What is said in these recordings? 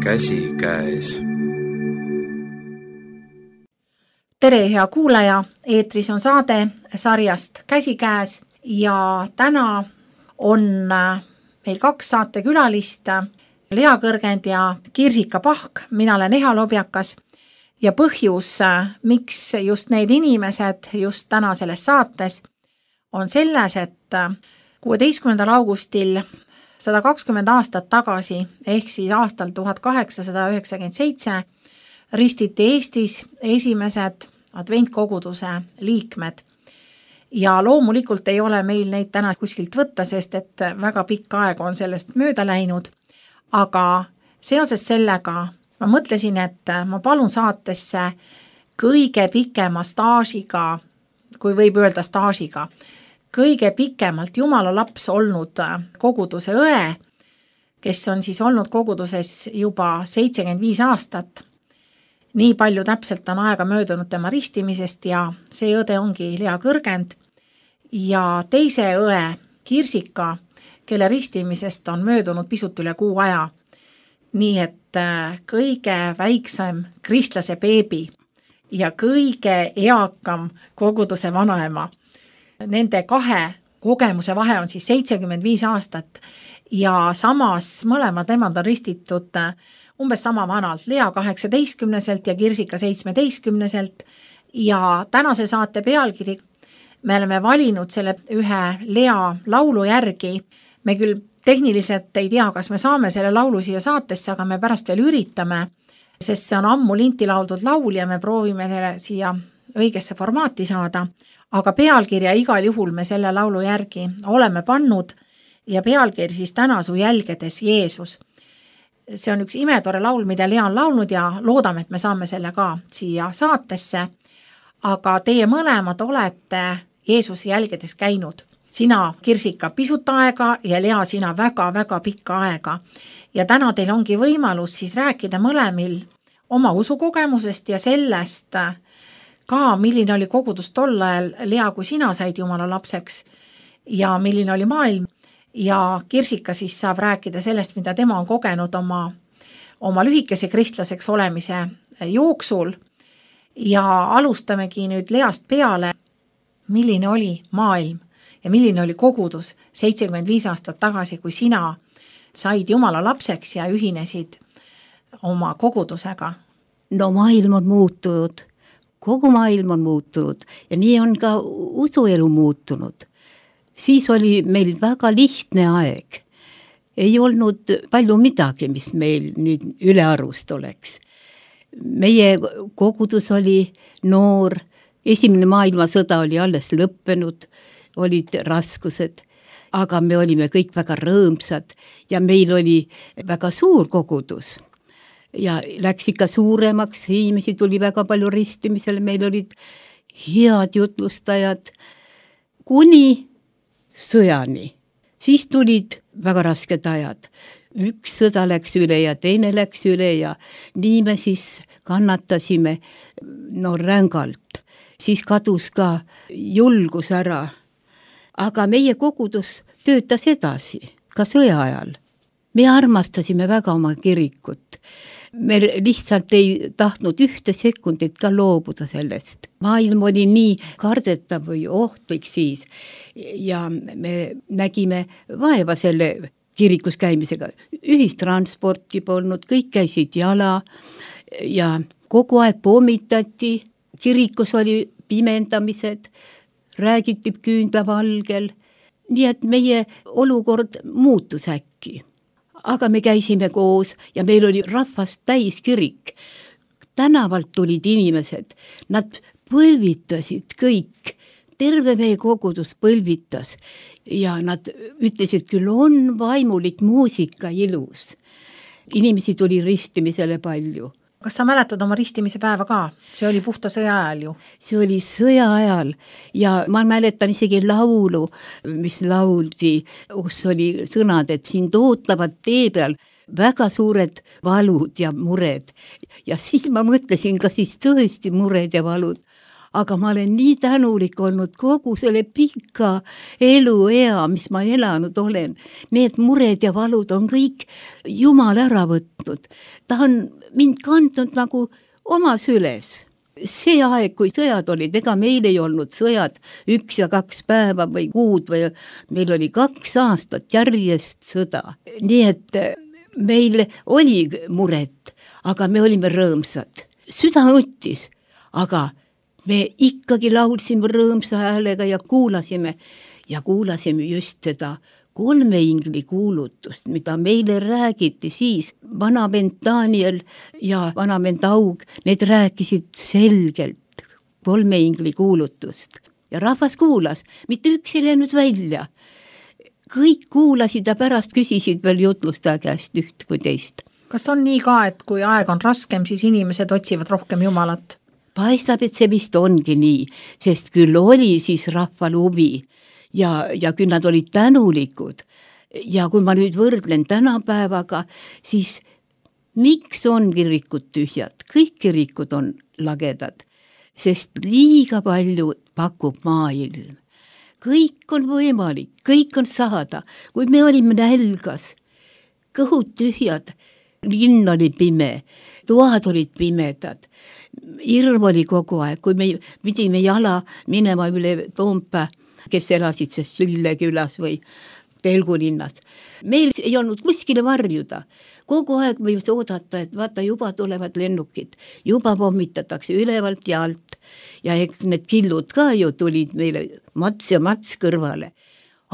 käsikäes. Tere, hea kuulaja! Eetris on saade sarjast Käsikäes ja täna on meil 2 saatekülalist, Lea Kõrgend ja Kirsika Pahk. Mina olen Eha Lobjakas ja põhjus, miks just need inimesed just täna selles saates, on selles, et 16. augustil 120 aastat tagasi ehk siis aastal 1897 ristiti Eestis esimesed adventkoguduse liikmed. Ja loomulikult ei ole meil neid täna kuskilt võtta, sest et väga pikka aega on sellest mööda läinud. Aga seoses sellega ma mõtlesin, et ma palun saatesse kõige pikema staažiga, kui võib öelda staažiga, kõige pikemalt Jumala laps olnud koguduse õe, kes on siis olnud koguduses juba 75 aastat. Nii palju täpselt on aega möödunud tema ristimisest ja see õde ongi Lea Kõrgend ja teise õe Kirsika, kelle ristimisest on möödunud pisut üle kuu aja. Nii et kõige väiksem kristlase beebi ja kõige eakam koguduse vanaema. Nende 2 kogemuse vahe on siis 75 aastat ja samas mõlemad nemad on ristitud umbes sama vanalt, Lea 18-selt ja Kirsika 17-selt ja tänase saate pealkiri me oleme valinud selle ühe Lea laulu järgi. Me küll tehniliselt ei tea, kas me saame selle laulu siia saatesse, aga me pärast veel üritame, sest see on ammu linti lauldud laul ja me proovime siia õigesse formaati saada, aga pealkirja igal juhul me selle laulu järgi oleme pannud ja pealkiri siis Täna su jälgedes Jeesus. See on üks imetore laul, mida Lea on laulnud ja loodame, et me saame selle ka siia saatesse, aga teie mõlemad olete Jeesuse jälgedes käinud. Sina, Kirsika, pisut aega ja Lea, sina väga-väga pikka aega. Ja täna teil ongi võimalus siis rääkida mõlemil oma usukogemusest ja sellest ka, milline oli kogudus tol ajal, Lea, kui sina said Jumala lapseks ja milline oli maailm. Ja Kirsika siis saab rääkida sellest, mida tema on kogenud oma lühikese kristlaseks olemise jooksul. Ja alustamegi nüüd Least peale, milline oli maailm ja milline oli kogudus 75 aastat tagasi, kui sina said Jumala lapseks ja ühinesid oma kogudusega. No maailm on muutunud, kogu maailm on muutunud ja nii on ka usuelu muutunud. Siis oli meil väga lihtne aeg. Ei olnud palju midagi, mis meil nüüd ülearust oleks. Meie kogudus oli noor, esimene maailmasõda oli alles lõppenud, olid raskused, aga me olime kõik väga rõõmsad ja meil oli väga suur kogudus. Ja läks ikka suuremaks, inimesi tuli väga palju ristimisele, meil olid head jutlustajad, kuni sõjani. Siis tulid väga rasked ajad. Üks sõda läks üle ja teine läks üle ja nii me siis kannatasime rängalt. Siis kadus ka julgus ära. Aga meie kogudus töötas edasi, ka sõja ajal. Me armastasime väga oma kirikut. Me lihtsalt ei tahtnud ühte sekundit ka loobuda sellest. Maailm oli nii kardetav või ohtlik siis ja me nägime vaeva selle kirikus käimisega. Ühistransporti polnud, kõik käisid jala ja kogu aeg pommitati, kirikus oli pimendamised, räägiti küünlavalgel, nii et meie olukord muutus äkki. Aga me käisime koos ja meil oli rahvast täis kirik. Tänavalt tulid inimesed, nad põlvitasid kõik. Terve meie kogudus põlvitas ja nad ütlesid, küll on vaimulik muusika ilus. Inimesi tuli ristimisele palju. Kas sa mäletad oma ristimise päeva ka? See oli puhta sõja ajal ju. See oli sõja ajal ja ma mäletan isegi laulu, mis lauldi, kus oli sõnad, et sind ootavad tee peal väga suured valud ja mured. Ja siis ma mõtlesin, kas siis tõesti mured ja valud. aga ma olen nii tänulik olnud kogu selle pika eluea, mis ma elanud olen. Need mured ja valud on kõik Jumal ära võtnud. Ta on mind kandnud nagu oma süles. See aeg, kui sõjad olid, ega meil ei olnud sõjad 1 ja 2 päeva või kuud või meil oli 2 aastat järjest sõda. Nii et meil oli muret, aga me olime rõõmsad. Süda nuttis, aga me ikkagi laulsime rõõmsa häälega ja kuulasime just seda 3 ingli kuulutust, mida meile räägiti siis. Vanavend Daniel ja vanavend Aug, need rääkisid selgelt 3 ingli kuulutust. Ja rahvas kuulas, mitte üks ei läinud välja. Kõik kuulasid ja pärast küsisid veel jutlustaja käest üht kui teist. Kas on nii ka, et kui aeg on raskem, siis inimesed otsivad rohkem Jumalat? Paistab, et see vist ongi nii, sest küll oli siis rahval huvi ja küll nad olid tänulikud. Ja kui ma nüüd võrdlen tänapäevaga, siis miks on kirikud tühjad? Kõik kirikud on lagedad, sest liiga palju pakub maailm. Kõik on võimalik, kõik on saada. Kui me olime nälgas, kõhud tühjad, linn oli pime, toad olid pimedad, hirm oli kogu aeg, kui me pidime jala minema üle Toompea, kes elasid sest Sülle külas või Pelgulinnas. Meil ei olnud kuskile varjuda. Kogu aeg võis oodata, et vaata, juba tulevad lennukid, juba pommitatakse ülevalt ja alt. Ja eks need killud ka ju tulid meile mats ja mats kõrvale.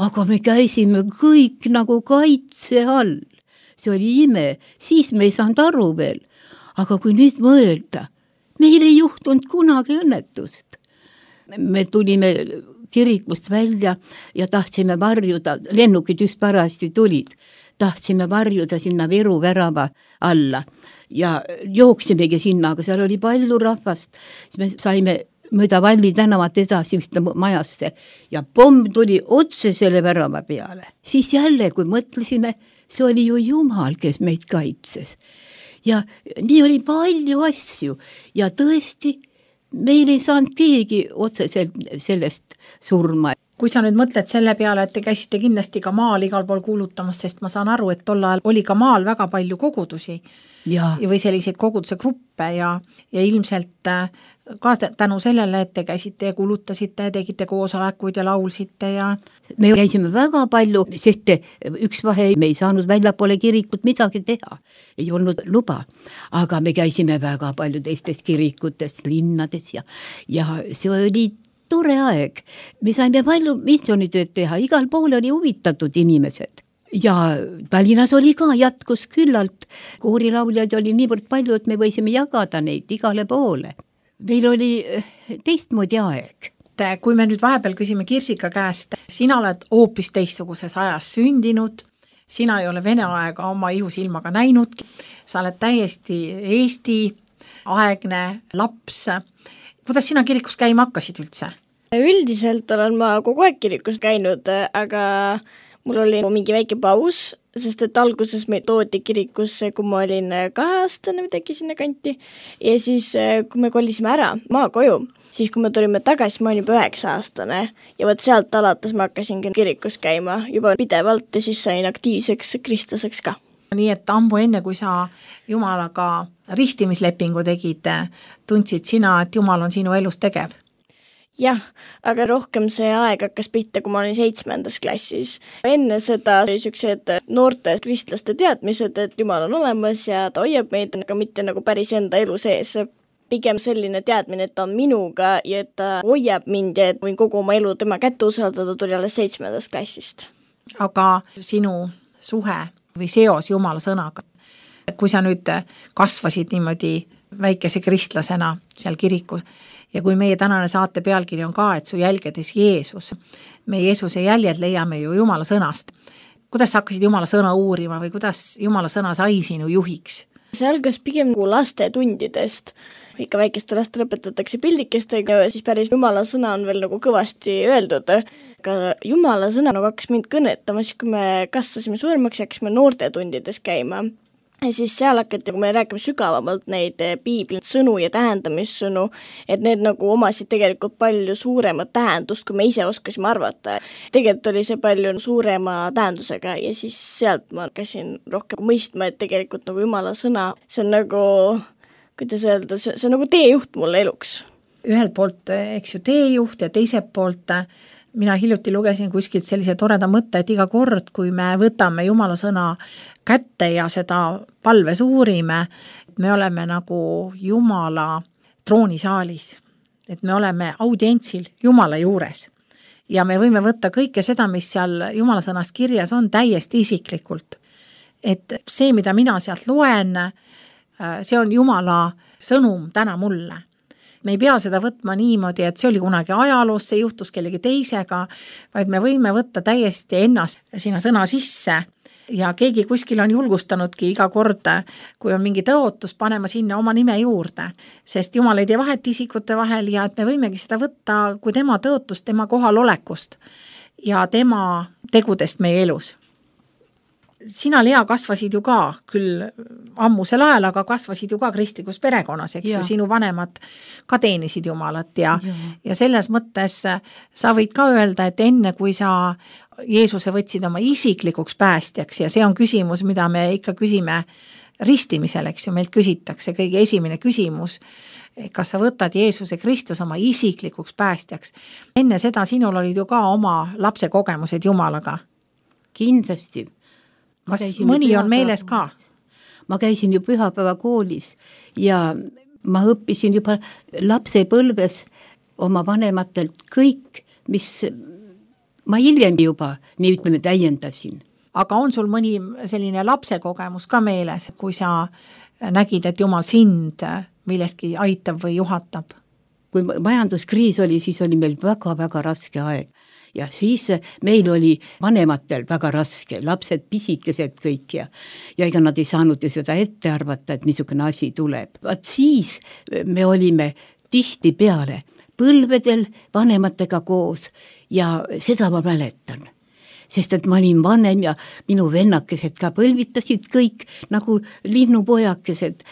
Aga me käisime kõik nagu kaitse all. See oli ime, siis me ei saanud aru veel. Aga kui nüüd mõelda, meil ei juhtunud kunagi õnnetust. Me tulime kirikust välja ja tahtsime varjuda, lennukid just parasti tulid, tahtsime varjuda sinna Viru värava alla ja jooksimegi sinna, aga seal oli palju rahvast, siis me saime mööda Valli tänavat edasi ühte majasse ja pomm tuli otse selle värava peale. Siis jälle, kui mõtlesime, see oli ju Jumal, kes meid kaitses. Ja nii oli palju asju ja tõesti, meil ei saanud keegi otse sellest surma. Kui sa nüüd mõtled selle peale, et te käisite kindlasti ka maal igal pool kuulutamas, sest ma saan aru, et tol ajal oli ka maal väga palju kogudusi või selliseid koguduse gruppe ja ilmselt ka tänu sellele, et te käisite ja kuulutasite, tegite koosolekuid ja laulsite ja... Me käisime väga palju, sest üks vahe me ei saanud väljapoole kirikut midagi teha, ei olnud luba, aga me käisime väga palju teistes kirikutes, linnades ja see oli tore aeg. Me saime palju missioonitööd teha, igal pool oli huvitatud inimesed. Ja Tallinnas oli ka, jätkus küllalt. Koorilauljaid oli niivõrd palju, et me võisime jagada neid igale poole. Meil oli teistmoodi aeg. Kui me nüüd vahepeal küsime Kirsika käest, sina oled hoopis teistsuguses ajas sündinud, sina ei ole Vene aega oma ihusilmaga näinud, sa oled täiesti Eesti aegne laps. Kuidas sina kirikus käima hakkasid üldse? Üldiselt olen ma kogu aeg kirikus käinud, aga mul oli mingi väike paus, sest et alguses me toodi kirikusse, kui ma olin 2-aastane või tegi sinna kanti. Ja siis, kui me kolisime ära maakoju, siis kui me tulime tagasi, ma olin juba 9-aastane. Ja võt sealt alates ma hakkasin kirikus käima juba pidevalt ja siis sain aktiivseks kristlaseks ka. Nii et ammu enne, kui sa Jumalaga ristimislepingu tegid, tundsid sina, et Jumal on sinu elus tegev? Jah, aga rohkem see aeg hakkas pihta, kui ma olin 7. klassis. Enne seda oli sellised noorte kristlaste teadmised, et Jumal on olemas ja ta hoiab meid, aga mitte nagu päris enda elu sees. Pigem selline teadmine, et ta on minuga ja et ta hoiab mind ja et võin kogu oma elu tema kätte usaldada, tuli alles 7. klassist. Aga sinu suhe või seos Jumala sõnaga, kui sa nüüd kasvasid niimoodi väikese kristlasena seal kirikus ja kui meie tänane saate pealkiri on ka, et su jälgedes Jeesus, me Jeesuse jäljed leiame ju Jumala sõnast. Kuidas sa hakkasid Jumala sõna uurima või kuidas Jumala sõna sai sinu juhiks? See algas pigem nagu lastetundidest. Ikka väikeste lastele õpetatakse pildikestega ja siis päris Jumala sõna on veel nagu kõvasti öeldud. Aga Jumala sõna nagu hakkas mind kõnetama, siis kui me kasvasime suuremaks ja hakkasime noortetundides käima. ja siis seal hakati, kui me räägime sügavamalt neid piibli sõnu ja tähendamissõnu, et need nagu omasid tegelikult palju suuremat tähendust, kui me ise oskasime arvata. Tegelikult oli see palju suurema tähendusega ja siis sealt ma hakkasin rohkem mõistma, et tegelikult nagu Jumala sõna, see on nagu, kuidas öelda, see on nagu teejuht mulle eluks. Ühelt poolt, eks ju, teejuht ja teiselt poolt mina hiljuti lugesin kuskilt sellise toreda mõtte, et iga kord, kui me võtame Jumala sõna kätte ja seda palves uurime, et me oleme nagu Jumala troonisaalis, et me oleme audientsil Jumala juures ja me võime võtta kõike seda, mis seal Jumala sõnas kirjas on, täiesti isiklikult. Et see, mida mina sealt loen, see on Jumala sõnum täna mulle. Me ei pea seda võtma niimoodi, et see oli kunagi ajaloos, see juhtus kellegi teisega, vaid me võime võtta täiesti ennast sinna sõna sisse ja keegi kuskil on julgustanudki iga kord, kui on mingi tõotus, panema sinna oma nime juurde, sest Jumal ei tee vahet isikute vahel ja et me võimegi seda võtta kui tema tõotust, tema kohalolekust ja tema tegudest meie elus. Sina, Lea, kasvasid ju ka küll ammusel ajal, aga kasvasid ju ka kristlikus perekonnas, eks ju, sinu vanemad ka teenisid Jumalat ja selles mõttes sa võid ka öelda, et enne kui sa Jeesuse võtsid oma isiklikuks päästjaks ja see on küsimus, mida me ikka küsime ristimisel, eks ju, meilt küsitakse kõige esimene küsimus, kas sa võtad Jeesuse Kristus oma isiklikuks päästjaks. Enne seda sinul olid ju ka oma lapse kogemused Jumalaga. Kindlasti. Kas mõni on meeles ka? Ma käisin ju pühapäeva koolis ja ma õppisin juba lapsepõlves oma vanematelt kõik, mis ma hiljem juba nii ütleme täiendasin. Aga on sul mõni selline lapse kogemus ka meeles, kui sa nägid, et Jumal sind millestki aitab või juhatab? Kui majanduskriis oli, siis oli meil väga-väga raske aeg. Ja siis meil oli vanematel väga raske, lapsed pisikesed kõik ja ega nad ei saanud ju seda ette arvata, et niisugune asi tuleb. Vaat siis me olime tihti peale põlvedel vanematega koos ja seda ma mäletan. Sest et ma olin vanem ja minu vennakesed ka põlvitasid kõik nagu linnupojakesed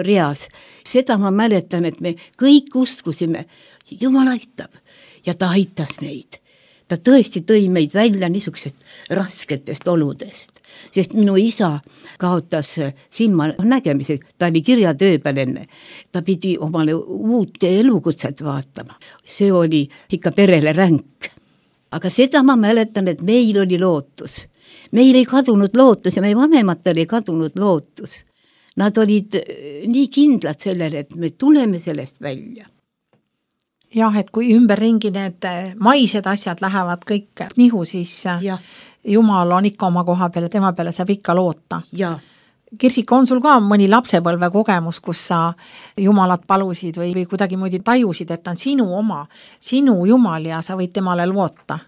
reas. Seda ma mäletan, et me kõik uskusime, Jumal aitab ja ta aitas meid. Ta tõesti tõi meid välja niisugusest rasketest oludest, sest minu isa kaotas silma nägemise, ta oli kirjatöö peal enne, ta pidi omale uut elukutset vaatama. See oli ikka perele ränk. Aga seda ma mäletan, et meil oli lootus. Meil ei kadunud lootus ja meie vanematel ei kadunud lootus. Nad olid nii kindlad sellele, et me tuleme sellest välja. Jah, et kui ümberringi need maised asjad lähevad kõik nihu, siis Jumal on ikka oma koha peale, tema peale saab ikka loota. Kirsika, on sul ka mõni lapsepõlve kogemus, kus sa Jumalat palusid või kuidagi muidu tajusid, et on sinu oma, sinu Jumal ja sa võid temale loota?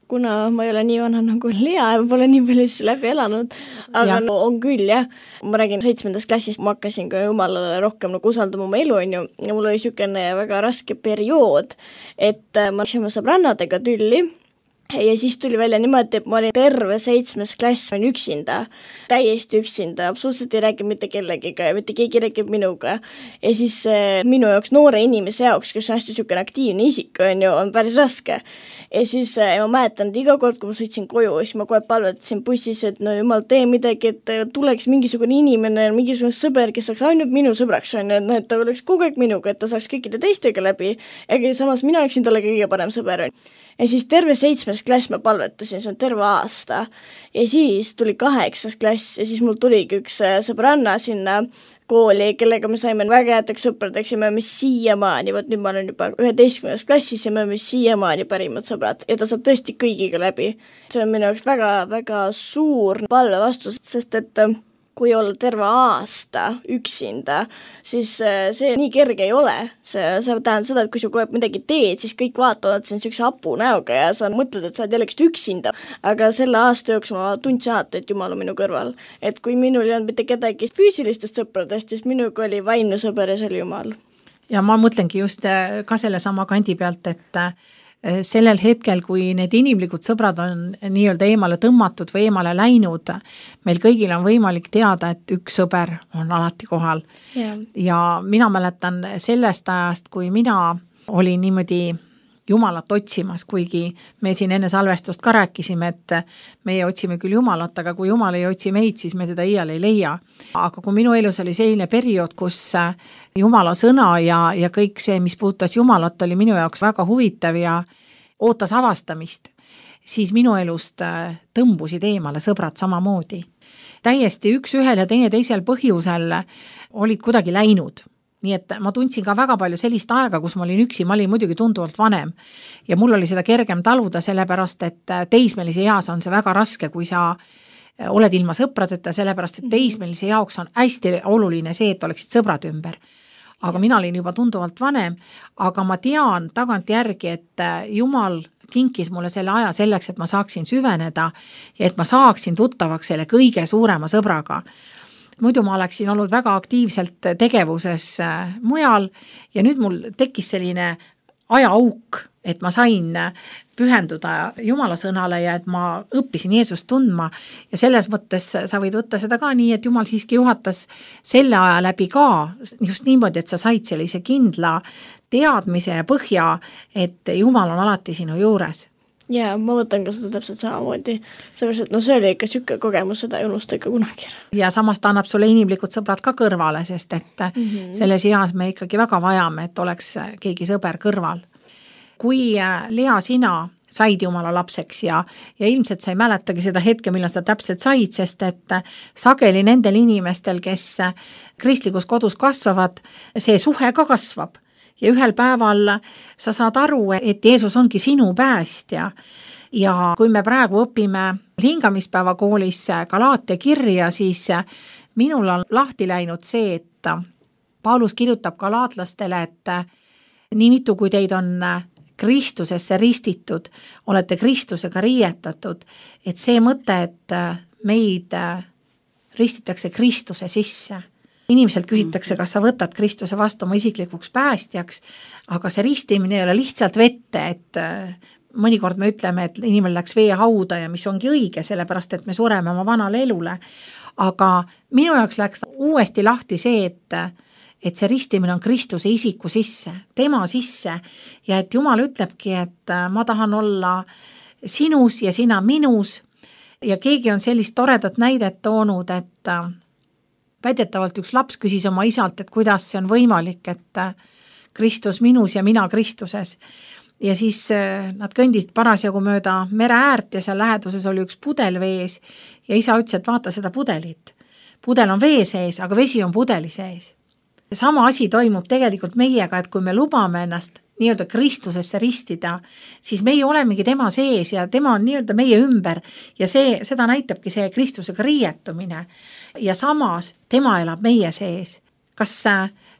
Kuna ma ei ole nii vana nagu Lea ja pole nii palju läbi elanud, aga no, on küll jah. Ma räägin 7. klassist, ma hakkasin ka Jumalale rohkem nagu usaldama oma elu, ja mul oli niisugune väga raske periood, et ma läksin sõbrannadega tülli ja siis tuli välja niimoodi, et ma olin terve 7. klass, ma olin üksinda, täiesti üksinda, absoluutselt ei räägi mitte kellegiga ja mitte keegi räägib minuga. Ja siis minu jaoks noore inimese jaoks, kes on hästi niisugune aktiivne isik, on päris raske. Ja siis ma mäletan, et iga kord, kui ma sõitsin koju, siis ma kohe palvetasin bussis, et no Jumal, tee midagi, et tuleks mingisugune inimene, mingisugune sõber, kes saaks ainult minu sõbraks, et ta oleks kogu aeg minuga, et ta saaks kõikide teistega läbi, aga samas mina oleksin talle kõige parem sõber. Ja siis terve 7. klass ma palvetasin, see on terve aasta. Ja siis tuli 8. klass ja siis mul tuligi üks sõbranna sinna kooli, kellega me saime väga headeks sõpradeks ja me oleme siiamaani, nüüd ma olen juba 11. klassis ja me oleme siiamaani parimad sõbrad ja ta saab tõesti kõigiga läbi. See on minu jaoks väga-väga suur palve vastus, sest et kui olla terve aasta üksinda, siis see nii kerge ei ole. See tähendab seda, et kui sa kohe midagi teed, siis kõik vaatavad siin niisuguse hapu näoga ja sa mõtled, et sa oled jällegi üksinda. Aga selle aasta jooksul ma tundsin alati, et Jumal on minu kõrval. Et kui minul ei olnud mitte kedagi füüsilistest sõpradest, siis minuga oli vaimne sõber ja see oli Jumal. Ja ma mõtlengi just ka selle sama kandi pealt, et sellel hetkel, kui need inimlikud sõbrad on nii-öelda eemale tõmmatud või eemale läinud, meil kõigil on võimalik teada, et üks sõber on alati kohal. Ja mina mäletan sellest ajast, kui mina olin niimoodi Jumalat otsimas, kuigi me siin enne salvestust ka rääkisime, et meie otsime küll Jumalat, aga kui Jumal ei otsi meid, siis me teda iial ei leia. Aga kui minu elus oli selline periood, kus Jumala sõna ja kõik see, mis puudutas Jumalat, oli minu jaoks väga huvitav ja ootas avastamist, siis minu elust tõmbusid eemale sõbrad samamoodi. Täiesti üks ühel ja teine teisel põhjusel olid kuidagi läinud. Nii et ma tundsin ka väga palju sellist aega, kus ma olin üksi, ma olin muidugi tunduvalt vanem ja mul oli seda kergem taluda, sellepärast, et teismelise eas on see väga raske, kui sa oled ilma sõpradeta, sellepärast, et teismelise jaoks on hästi oluline see, et oleksid sõbrad ümber. Aga mina olin juba tunduvalt vanem, aga ma tean tagantjärgi, et Jumal kinkis mulle selle aja selleks, et ma saaksin süveneda ja et ma saaksin tuttavaks selle kõige suurema sõbraga. Muidu ma oleksin olnud väga aktiivselt tegevuses mujal ja nüüd mul tekkis selline ajaauk, et ma sain pühenduda Jumala sõnale ja et ma õppisin Jeesust tundma ja selles mõttes sa võid võtta seda ka nii, et Jumal siiski juhatas selle aja läbi ka just niimoodi, et sa said sellise kindla teadmise ja põhja, et Jumal on alati sinu juures. Ja ma võtan ka seda täpselt samamoodi, sellepärast, et see oli ikka sükke kogemus, seda ei unusta ikka kunagi. Ja samas ta annab sulle inimlikud sõbrad ka kõrvale, sest et selles eas me ikkagi väga vajame, et oleks keegi sõber kõrval. Kui Lea, sina said Jumala lapseks ja ilmselt sa ei mäletagi seda hetke, millal sa täpselt said, sest et sageli nendel inimestel, kes kristlikus kodus kasvavad, see suhe ka kasvab. Ja ühel päeval sa saad aru, et Jeesus ongi sinu päästja. Ja kui me praegu õpime hingamispäeva koolis Galaatia kirja, siis minul on lahti läinud see, et Paulus kirjutab galaatlastele, et nii mitu kui teid on Kristusesse ristitud, olete Kristusega riietatud, et see mõte, et meid ristitakse Kristuse sisse. Inimeselt küsitakse, kas sa võtad Kristuse vastu oma isiklikuks päästjaks, aga see ristimine ei ole lihtsalt vette, et mõnikord me ütleme, et inimene läks veehauda ja mis ongi õige, sellepärast, et me sureme oma vanale elule. Aga minu jaoks läks uuesti lahti see, et see ristimine on Kristuse isiku sisse, tema sisse ja et Jumal ütlebki, et ma tahan olla sinus ja sina minus ja keegi on sellist toredat näidet toonud, et väidetavalt üks laps küsis oma isalt, et kuidas see on võimalik, et Kristus minus ja mina Kristuses. Ja siis nad kõndisid parasjagu mööda mere äärt ja seal läheduses oli üks pudel vees ja isa ütles, et vaata seda pudelit. Pudel on vee sees, aga vesi on pudeli sees. Ja sama asi toimub tegelikult meiega, et kui me lubame ennast nii-öelda Kristusesse ristida, siis meie olemegi tema sees ja tema on nii-öelda meie ümber ja seda näitabki see Kristusega riietumine ja samas tema elab meie sees. Kas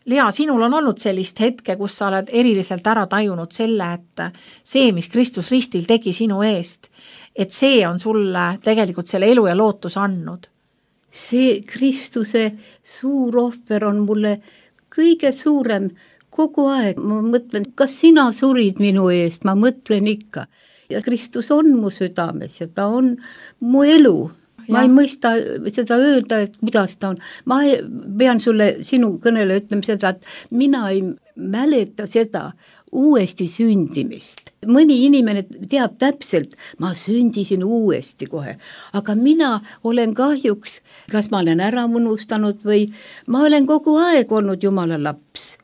Lea, sinul on olnud sellist hetke, kus sa oled eriliselt ära tajunud selle, et see, mis Kristus ristil tegi sinu eest, et see on sulle tegelikult selle elu ja lootus andnud? See Kristuse suur ohver on mulle kõige suurem kogu aeg. Ma mõtlen, kas sina surid minu eest, ma mõtlen ikka. Ja Kristus on mu südames ja ta on mu elu. Ma ei mõista seda öelda, et kuidas ta on. Ma pean sulle sinu kõnele ütlema seda, et mina ei mäleta seda uuesti sündimist. Mõni inimene teab täpselt, ma sündisin uuesti kohe, aga mina olen kahjuks, kas ma olen ära unustanud või ma olen kogu aeg olnud Jumala laps.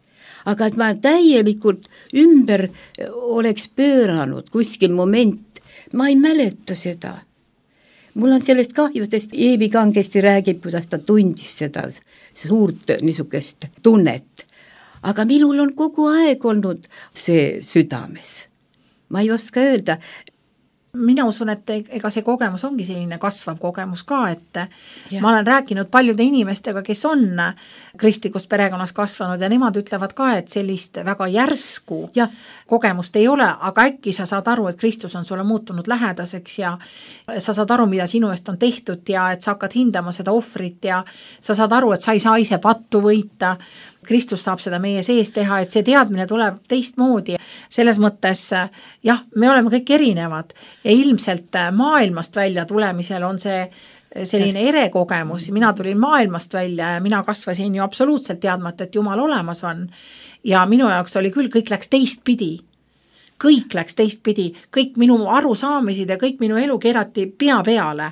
Aga et ma täielikult ümber oleks pööranud kuskil moment, ma ei mäleta seda. Mul on sellest kahjudest, Eevi kangesti räägib, kuidas ta tundis seda suurt niisugust tunnet. Aga minul on kogu aeg olnud see südames. Ma ei oska öelda. Mina usun, et ega see kogemus ongi selline kasvav kogemus ka, et ma olen rääkinud paljude inimestega, kes on kristlikus perekonnas kasvanud ja nemad ütlevad ka, et sellist väga järsku kogemust ei ole, aga äkki sa saad aru, et Kristus on sulle muutunud lähedaseks ja sa saad aru, mida sinu eest on tehtud ja et sa hakkad hindama seda ohvrit ja sa saad aru, et sa ei saa ise pattu võita Kristus saab seda meie sees teha, et see teadmine tuleb teistmoodi. Selles mõttes, jah, me oleme kõik erinevad ja ilmselt maailmast välja tulemisel on see selline erekogemus. Mina tulin maailmast välja ja mina kasvasin ju absoluutselt teadmata, et Jumal olemas on. Ja minu jaoks oli küll, kõik läks teistpidi. Kõik läks teistpidi, kõik minu arusaamisid ja kõik minu elu keerati pea peale.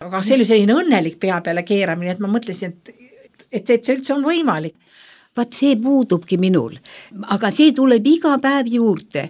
Aga see oli selline õnnelik pea peale keeramine, et ma mõtlesin, et see üldse on võimalik. Vaat see puudubki minul, aga see tuleb iga päev juurde.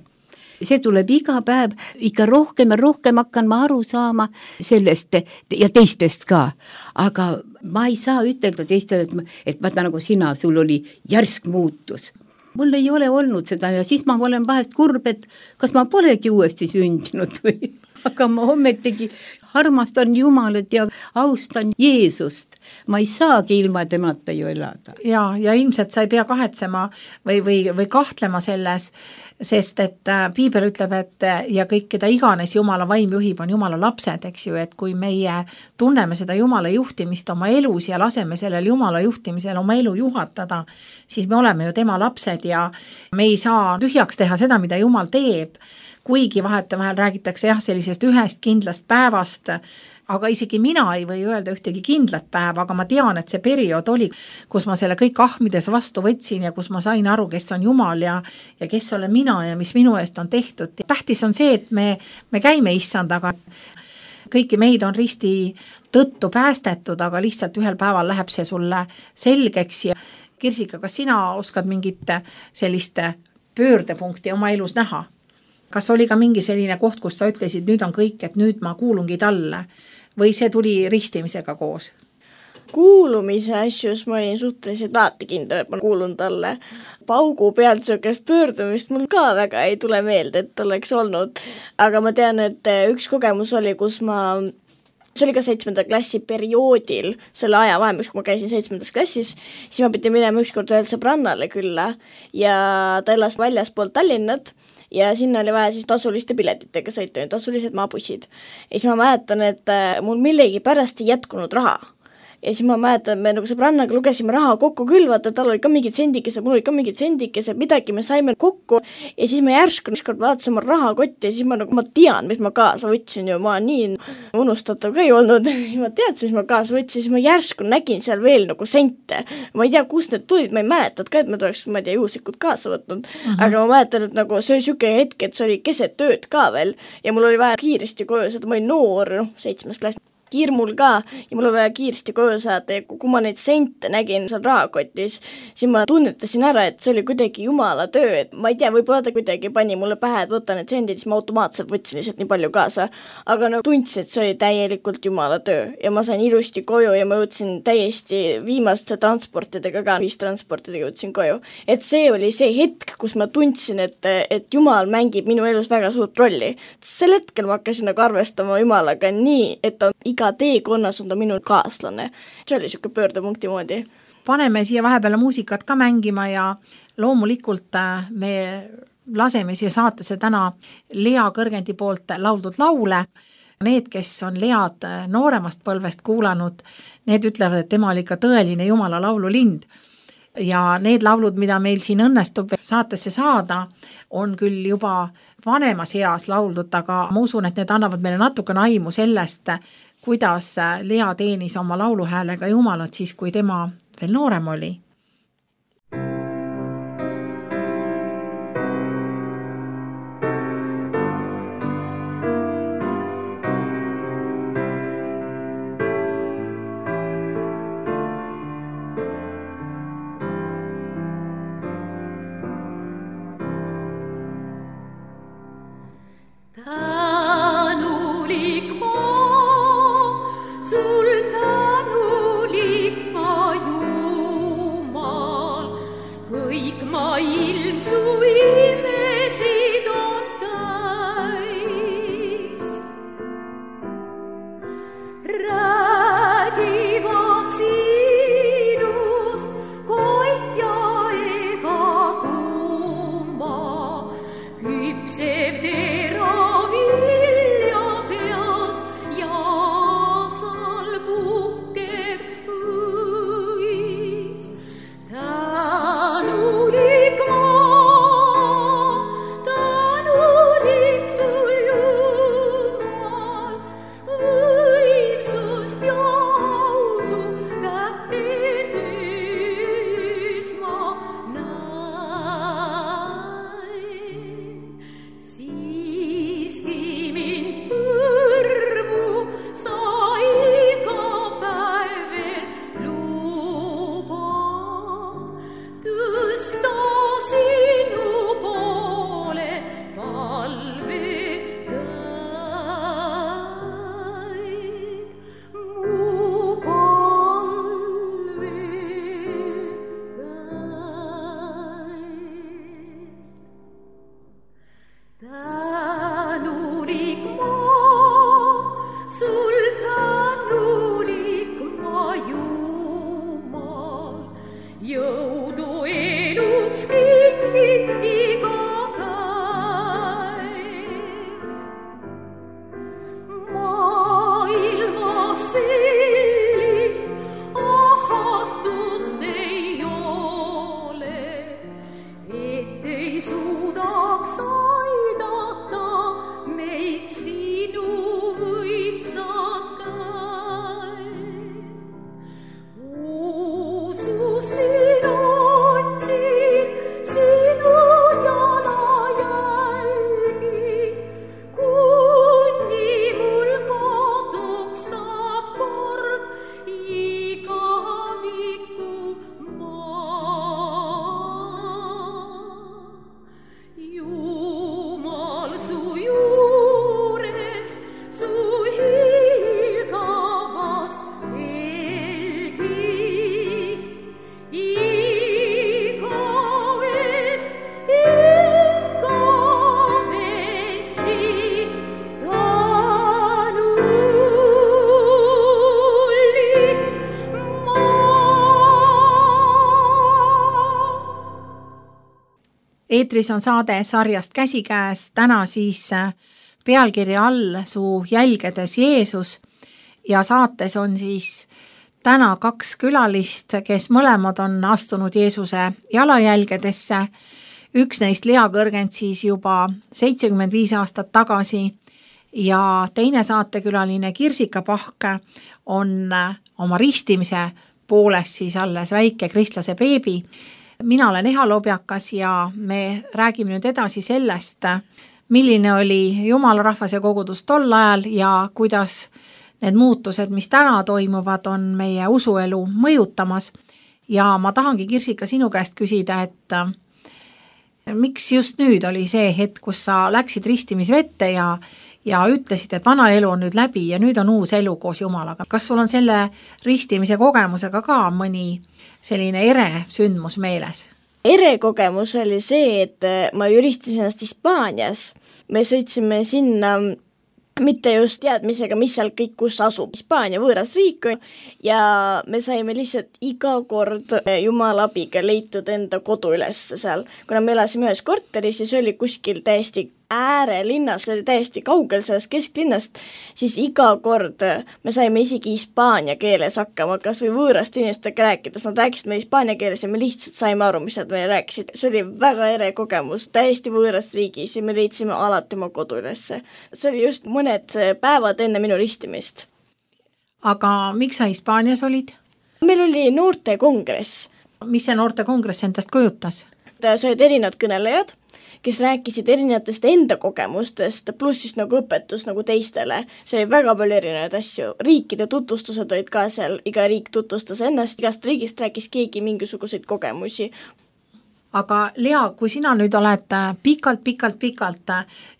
See tuleb iga päev, ikka rohkem ja rohkem hakkan ma aru saama sellest ja teistest ka. Aga ma ei saa ütelda teistele, et vaata nagu sina, sul oli järsk muutus. Mul ei ole olnud seda ja siis ma olen vahest kurb, et kas ma polegi uuesti sündinud või. Aga ma ommetigi armastan Jumalat ja austan Jeesust. Ma ei saagi ilma temata ju elada. Ja ilmselt sa ei pea kahetsema või kahtlema selles, sest et Piibel ütleb, et ja kõik, keda iganes Jumala vaim juhib, on Jumala lapsed, eks ju, et kui meie tunneme seda Jumala juhtimist oma elus ja laseme sellel Jumala juhtimisel oma elu juhatada, siis me oleme ju tema lapsed ja me ei saa tühjaks teha seda, mida Jumal teeb. Kuigi vahetevahel räägitakse jah sellisest ühest kindlast päevast, aga isegi mina ei või öelda ühtegi kindlat päeva, aga ma tean, et see periood oli, kus ma selle kõik ahmides vastu võtsin ja kus ma sain aru, kes on Jumal ja kes olen mina ja mis minu eest on tehtud. Tähtis on see, et me käime issandaga. Kõiki meid on risti tõttu päästetud, aga lihtsalt ühel päeval läheb see sulle selgeks. Ja Kirsika, kas sina oskad mingit sellist pöördepunkti oma elus näha? Kas oli ka mingi selline koht, kus sa ütlesid, nüüd on kõik, et nüüd ma kuulungi talle või see tuli ristimisega koos? Kuulumise asjus ma olin suhteliselt alati kindel, et ma kuulun talle. Paugu pealt söökest pöördumist mul ka väga ei tule meelde, et oleks olnud. Aga ma tean, et üks kogemus oli, kus see oli ka 7. klassi perioodil, selle aja vahemaks, kui ma käisin 7. klassis, siis ma pidin minema ükskord ühel sõbrannale külla ja ta elas väljaspool Tallinnat ja sinna oli vaja siis tasuliste piletitega sõita, tasulised maabussid. Ja siis ma mäletan, et mul millegi pärast ei jätkunud raha. Ja siis ma mäletan, me nagu sõbrannaga lugesime raha kokku küll, vaata, tal oli ka mingid sendikesed, mul oli ka mingid sendikesed, midagi me saime kokku ja siis me järsku ükskord vaatasin oma rahakotti ja siis ma tean, mis ma kaasa võtsin ju, ma nii unustatav ka ei olnud, ma teadsin, mis ma kaasa võtsin, siis ma järsku nägin seal veel nagu sente. Ma ei tea, kust need tulid, ma ei mäletad ka, et ma tuleks, ma ei tea, juhuslikult kaasa võtnud, aga ma mäletan, et nagu see oli siuke hetk, et see oli keset tööd ka veel ja mul oli vaja kiiresti koju, seda ma olin noor, 7. klass. Hirmul ka ja mul oli vaja kiiresti koju saada ja kui ma neid sente nägin seal rahakotis, siis ma tunnetasin ära, et see oli kuidagi Jumala töö, et ma ei tea, võib-olla ta kuidagi pani mulle pähe, et võtta need sendid, siis ma automaatselt võtsin lihtsalt nii palju kaasa, aga no tundsin, et see oli täielikult Jumala töö ja ma sain ilusti koju ja ma jõudsin täiesti viimaste transportidega ka, ühistransportidega jõudsin koju, et see oli see hetk, kus ma tundsin, et Jumal mängib minu elus väga suurt rolli. Sel hetkel ma hakkasin nagu arvestama Jumalaga nii, et ta iga teekonnas on ta minu kaaslane. See oli siuke pöördepunkti moodi. Paneme siia vahepeale muusikat ka mängima ja loomulikult me laseme siia saatesse täna Lea Kõrgendi poolt lauldud laule. Need, kes on Lead nooremast põlvest kuulanud, need ütlevad, et tema oli ikka tõeline Jumala laululind. Ja need laulud, mida meil siin õnnestub saatesse saada, on küll juba vanemas eas lauldud, aga ma usun, et need annavad meile natukene aimu sellest, kuidas Lea teenis oma lauluhäälega Jumalat siis, kui tema veel noorem oli. Sul tänulik ma Jumal. eetris on saade sarjast Käsikäes, täna siis pealkirja all Su jälgedes Jeesus ja saates on siis täna 2 külalist, kes mõlemad on astunud Jeesuse jalajälgedesse. Üks neist Lea Kõrgend siis juba 75 aastat tagasi ja teine saatekülaline Kirsika Pahk on oma ristimise poolest siis alles väike kristlase beebi. Mina olen Eha Lobjakas ja me räägime nüüd edasi sellest, milline oli Jumala rahvas ja kogudus tol ajal ja kuidas need muutused, mis täna toimuvad, on meie usuelu mõjutamas. Ja ma tahangi, Kirsika, sinu käest küsida, et miks just nüüd oli see hetk, kus sa läksid ristimisvette ja ütlesid, et vana elu on nüüd läbi ja nüüd on uus elu koos Jumalaga. Kas sul on selle ristimise kogemusega ka mõni selline ere sündmus meeles? Ere kogemus oli see, et ma ristisin ennast Hispaanias. Me sõitsime sinna mitte just teadmisega, mis seal kõik kus asub. Hispaania võõras riik ja me saime lihtsalt iga kord Jumala abiga leitud enda kodu üles seal. Kuna me elasime ühes korteris ja see oli kuskil täiesti äärelinnas, see oli täiesti kaugel sellest kesklinnast, siis iga kord me saime isegi hispaania keeles hakkama, kas või võõrast inimestega rääkides. Nad rääkisid meil hispaania keeles ja me lihtsalt saime aru, mis nad meile rääkisid. See oli väga ere kogemus, täiesti võõrast riigis ja me leidsime alati oma kodu ülesse. See oli just mõned päevad enne minu ristimist. Aga miks sa Hispaanias olid? Meil oli noortekongress. Mis see noortekongress endast kujutas? See olid erinevad kõnelejad, kes rääkisid erinevatest enda kogemustest, pluss siis nagu õpetus nagu teistele. See oli väga palju erinevaid asju. Riikide tutvustused olid ka seal, iga riik tutvustas ennast, igast riigist rääkis keegi mingisuguseid kogemusi. Aga Lea, kui sina nüüd oled pikalt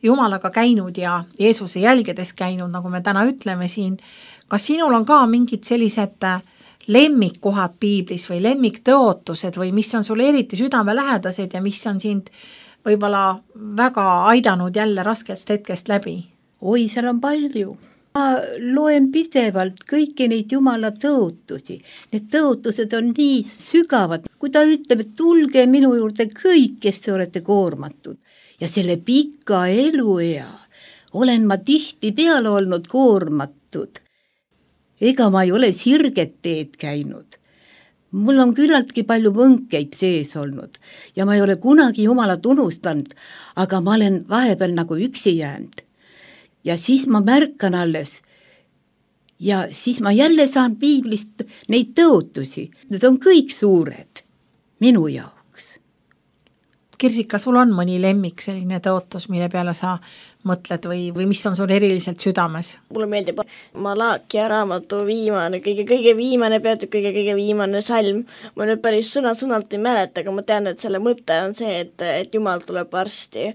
Jumalaga käinud ja Jeesuse jälgedes käinud, nagu me täna ütleme siin, kas sinul on ka mingid sellised lemmikkohad piiblis või lemmiktõotused või mis on sulle eriti südamelähedased ja mis on sind võib-olla väga aidanud jälle raskest hetkest läbi? Oi, seal on palju. Ma loen pidevalt kõiki neid Jumala tõotusi. Need tõotused on nii sügavad. Kui ta ütleb, et tulge minu juurde kõik, kes te olete koormatud. Ja selle pika eluea olen ma tihti peale olnud koormatud. Ega ma ei ole sirget teed käinud. Mul on küllaltki palju võnkeid sees olnud ja ma ei ole kunagi Jumalat unustanud, aga ma olen vahepeal nagu üksi jäänud. Ja siis ma märkan alles ja siis ma jälle saan piiblist neid tõotusi. Need on kõik suured minu jaoks. Kirsika, sul on mõni lemmik selline tõotus, mille peale sa mõtled või mis on sul eriliselt südames? Mulle meeldib Malakia raamatu kõige viimane peatükk, kõige viimane salm. Ma nüüd päris sõna-sõnalt ei mäleta, aga ma tean, et selle mõte on see, et Jumal tuleb varsti.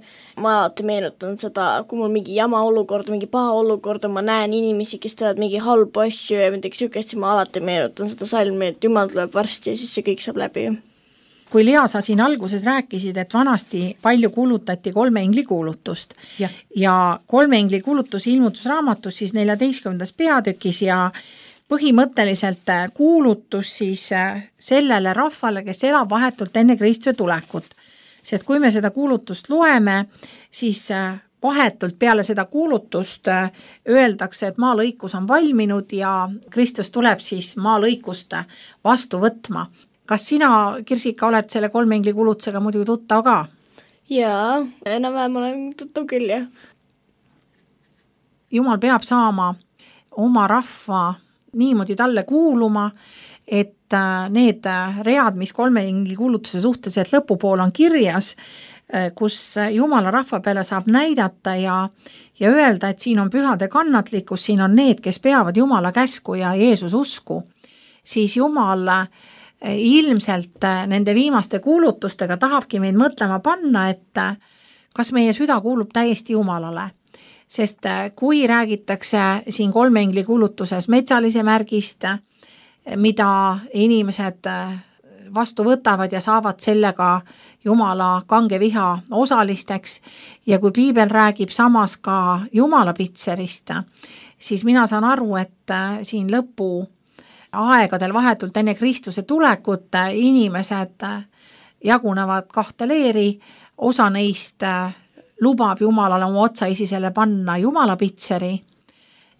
Ma alati meenutan seda, kui mul mingi jama olukord, mingi paha olukord, ma näen inimesi, kes teevad mingi halbu asju ja midagi sükest, siis ma alati meenutan seda salmi, et Jumal tuleb varsti ja siis see kõik saab läbi. Kui Lea, sa siin alguses rääkisid, et vanasti palju kuulutati 3 engli kuulutust ja 3 engli kuulutus ilmutusraamatus siis 14. peatükis ja põhimõtteliselt kuulutus siis sellele rahvale, kes elab vahetult enne Kristuse tulekut. Sest kui me seda kuulutust loeme, siis vahetult peale seda kuulutust öeldakse, et maalõikus on valminud ja Kristus tuleb siis maalõikust vastu võtma. Kas sina, Kirsika, oled selle 3 engli kuulutusega muidugi tuttav ka? Jaa, enam-vähem olen tuttav küll, jah. Jumal peab saama oma rahva niimoodi talle kuuluma, et need read, mis 3 engli kuulutuse suhtes, et lõpupool on kirjas, kus Jumala rahva peale saab näidata ja öelda, et siin on pühade kannatlikkus, siin on need, kes peavad Jumala käsku ja Jeesus usku, siis Jumal ilmselt nende viimaste kuulutustega tahabki meid mõtlema panna, et kas meie süda kuulub täiesti Jumalale. Sest kui räägitakse siin 3 engli kuulutuses metsalise märgist, mida inimesed vastu võtavad ja saavad sellega Jumala kange viha osalisteks ja kui piibel räägib samas ka Jumala pitserist, siis mina saan aru, et siin lõpu aegadel vahetult enne Kristuse tulekut inimesed jagunevad 2 leeri, osa neist lubab Jumalale oma otsaisisele panna jumalapitseri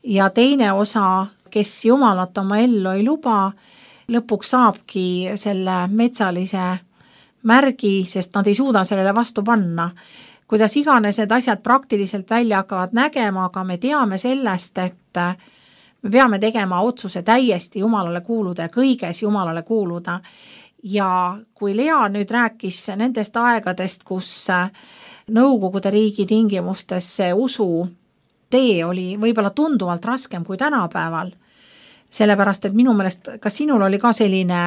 ja teine osa, kes Jumalat oma ellu ei luba, lõpuks saabki selle metsalise märgi, sest nad ei suuda sellele vastu panna. Kuidas iganes need asjad praktiliselt välja hakkavad nägema, aga me teame sellest, et me peame tegema otsuse täiesti Jumalale kuuluda ja kõiges Jumalale kuuluda. Ja kui Lea nüüd rääkis nendest aegadest, kus Nõukogude riigi tingimustes see usu tee oli võib-olla tunduvalt raskem kui tänapäeval, sellepärast, et minu meelest, kas sinul oli ka selline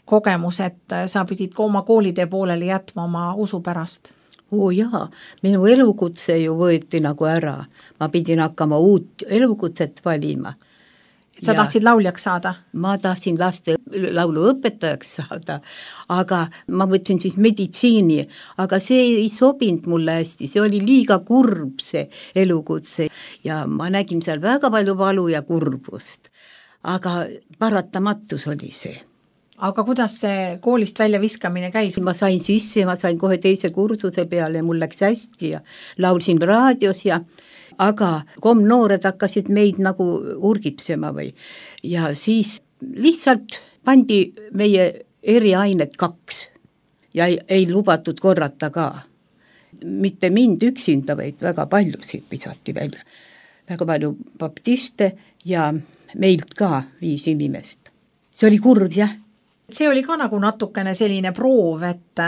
kogemus, et sa pidid oma koolitee pooleli jätma oma usu pärast? Jaa, minu elukutse ju võeti nagu ära. Ma pidin hakkama uut elukutset valima. Et sa tahtsid lauljaks saada? Ma tahtsin laste laulu õpetajaks saada, aga ma võtsin siis meditsiini, aga see ei sobinud mulle hästi, see oli liiga kurb see elukutse ja ma nägin seal väga palju valu ja kurbust, aga paratamatus oli see. Aga kuidas see koolist välja viskamine käis? Ma sain sisse, ma sain kohe teise kursuse peale ja mul läks hästi ja laulsin raadios aga komnoored hakkasid meid nagu urgitsema ja siis lihtsalt pandi meie eriainet 2 ja ei lubatud korrata ka. Mitte mind üksinda, vaid väga paljusid visati välja. Väga palju baptiste ja meilt ka 5 inimest. See oli kurb, jah. See oli ka nagu natukene selline proov, et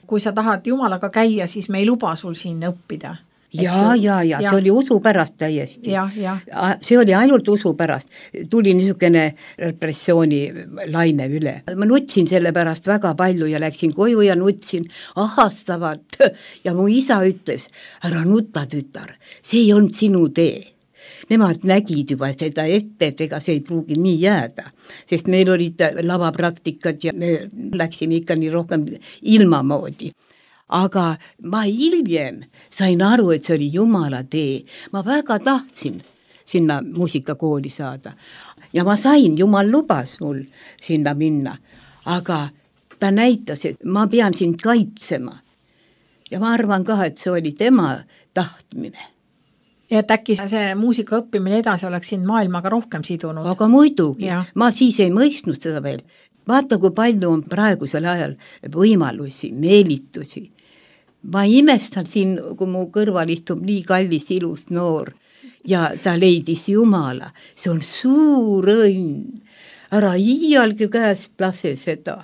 kui sa tahad Jumalaga käia, siis me ei luba sul siin õppida. Ja, see oli usu pärast täiesti. Ja. See oli ainult usu pärast. Tuli niisugune repressiooni laine üle. Ma nutsin selle pärast väga palju ja läksin koju ja nutsin ahastavalt. Ja mu isa ütles, ära nuta tütar, see ei olnud sinu tee. Nemad nägid juba seda ette, et ega see ei pruugi nii jääda, sest meil olid lavapraktikad ja me läksime ikka nii rohkem ilmamoodi. Aga ma hiljem sain aru, et see oli Jumala tee. Ma väga tahtsin sinna muusikakooli saada. Ja ma sain, Jumal lubas mul sinna minna. Aga ta näitas, et ma pean sind kaitsema. Ja ma arvan ka, et see oli tema tahtmine. Ja et äkki see muusika õppimine edasi oleks sind maailmaga rohkem sidunud? Aga muidugi. Ma siis ei mõistnud seda veel. Vaata, kui palju on praegusel ajal võimalusi, meelitusi. Ma imestan siin, kui mu kõrval istub nii kallis ilus noor ja ta leidis Jumala. See on suur õnn. Ära iialgi käest lase seda,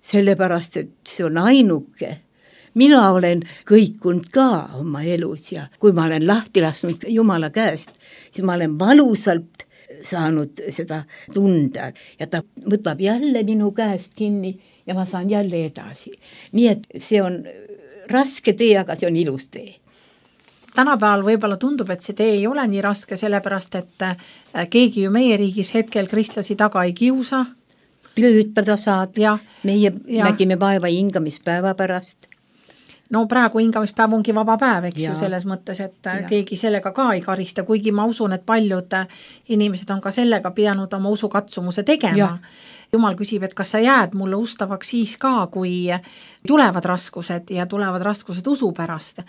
sellepärast, et see on ainuke. Mina olen kõikunud ka oma elus ja kui ma olen lahti lasknud Jumala käest, siis ma olen valusalt saanud seda tunda ja ta võtab jälle minu käest kinni ja ma saan jälle edasi. Nii et see on raske tee, aga see on ilus tee. Tänapäeval võib-olla tundub, et see tee ei ole nii raske, sellepärast, et keegi ju meie riigis hetkel kristlasi taga ei kiusa. Töötada saad. Meie nägime vaeva hingamispäeva pärast. No praegu hingamispäev ongi vaba päev, eks ju, selles mõttes, et keegi sellega ka ei karista, kuigi ma usun, et paljud inimesed on ka sellega pidanud oma usukatsumuse tegema. Jumal küsib, et kas sa jääd mulle ustavaks siis ka, kui tulevad raskused ja tulevad raskused usu pärast.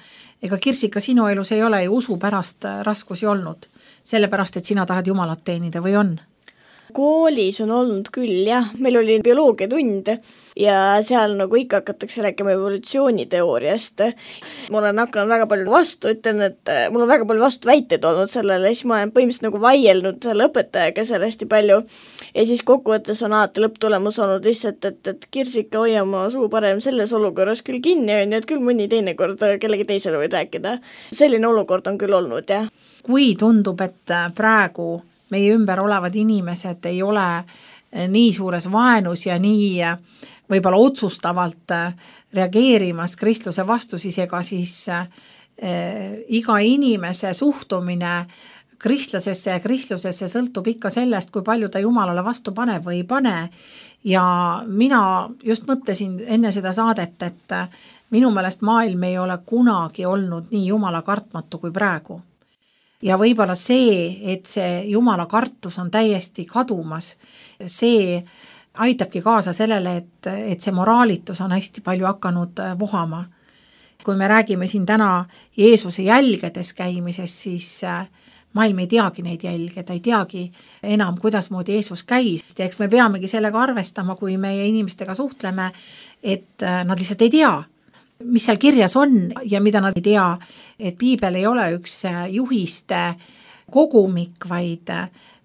Ega Kirsika, sinu elus ei ole ju usu pärast raskusi olnud, sellepärast, et sina tahad Jumalat teenida või on? Koolis on olnud küll, jah. Meil oli bioloogiatund ja seal nagu ikka hakatakse rääkima evolutsiooniteooriast. Ma olen hakanud väga palju vastu, ütlen, et mul on väga palju vastu väiteid olnud sellele, siis ma olen põhimõtteliselt nagu vaielnud selle õpetajaga seal hästi palju ja siis kokkuvõttes on alati lõpptulemus olnud lihtsalt, et Kirsika hoia oma suu parem selles olukorras küll kinni on, et küll mõni teine kord kellegi teisele võid rääkida. Selline olukord on küll olnud, jah. Kui tundub, et praegu meie ümber olevad inimesed ei ole nii suures vaenus ja nii võib-olla otsustavalt reageerimas kristluse vastu, siis ega siis iga inimese suhtumine kristlasesse ja kristlusesse sõltub ikka sellest, kui palju ta Jumalale vastu paneb või ei pane. Ja mina just mõtlesin enne seda saadet, et minu meelest maailm ei ole kunagi olnud nii Jumala kartmatu kui praegu. Ja võib-olla see, et see Jumala kartus on täiesti kadumas, see aitabki kaasa sellele, et see moraalitus on hästi palju hakanud vohama. kui me räägime siin täna Jeesuse jälgedes käimisest, siis maailm ei teagi neid jälge, ta ei teagi enam, kuidas moodi Jeesus käis. Ja eks me peamegi sellega arvestama, kui meie inimestega suhtleme, et nad lihtsalt ei tea, mis seal kirjas on ja mida nad ei tea, et piibel ei ole üks juhiste kogumik, vaid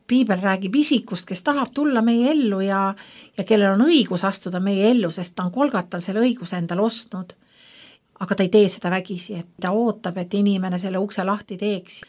piibel räägib isikust, kes tahab tulla meie ellu ja kellel on õigus astuda meie ellu, sest ta on Golgatal selle õiguse endale ostnud. Aga ta ei tee seda vägisi, et ta ootab, et inimene selle ukse lahti teeks.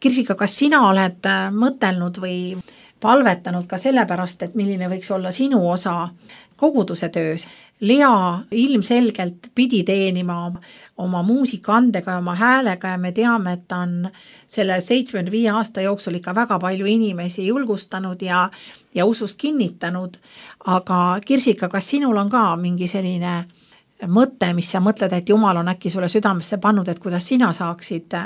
Kirsika, kas sina oled mõtelnud või palvetanud ka sellepärast, et milline võiks olla sinu osa koguduse töös? Lea ilmselgelt pidi teenima oma muusikaandega ja oma häälega ja me teame, et ta on selle 75 aasta jooksul ikka väga palju inimesi julgustanud ja usust kinnitanud. Aga Kirsika, kas sinul on ka mingi selline mõte, mis sa mõtled, et Jumal on äkki sulle südamesse pannud, et kuidas sina saaksid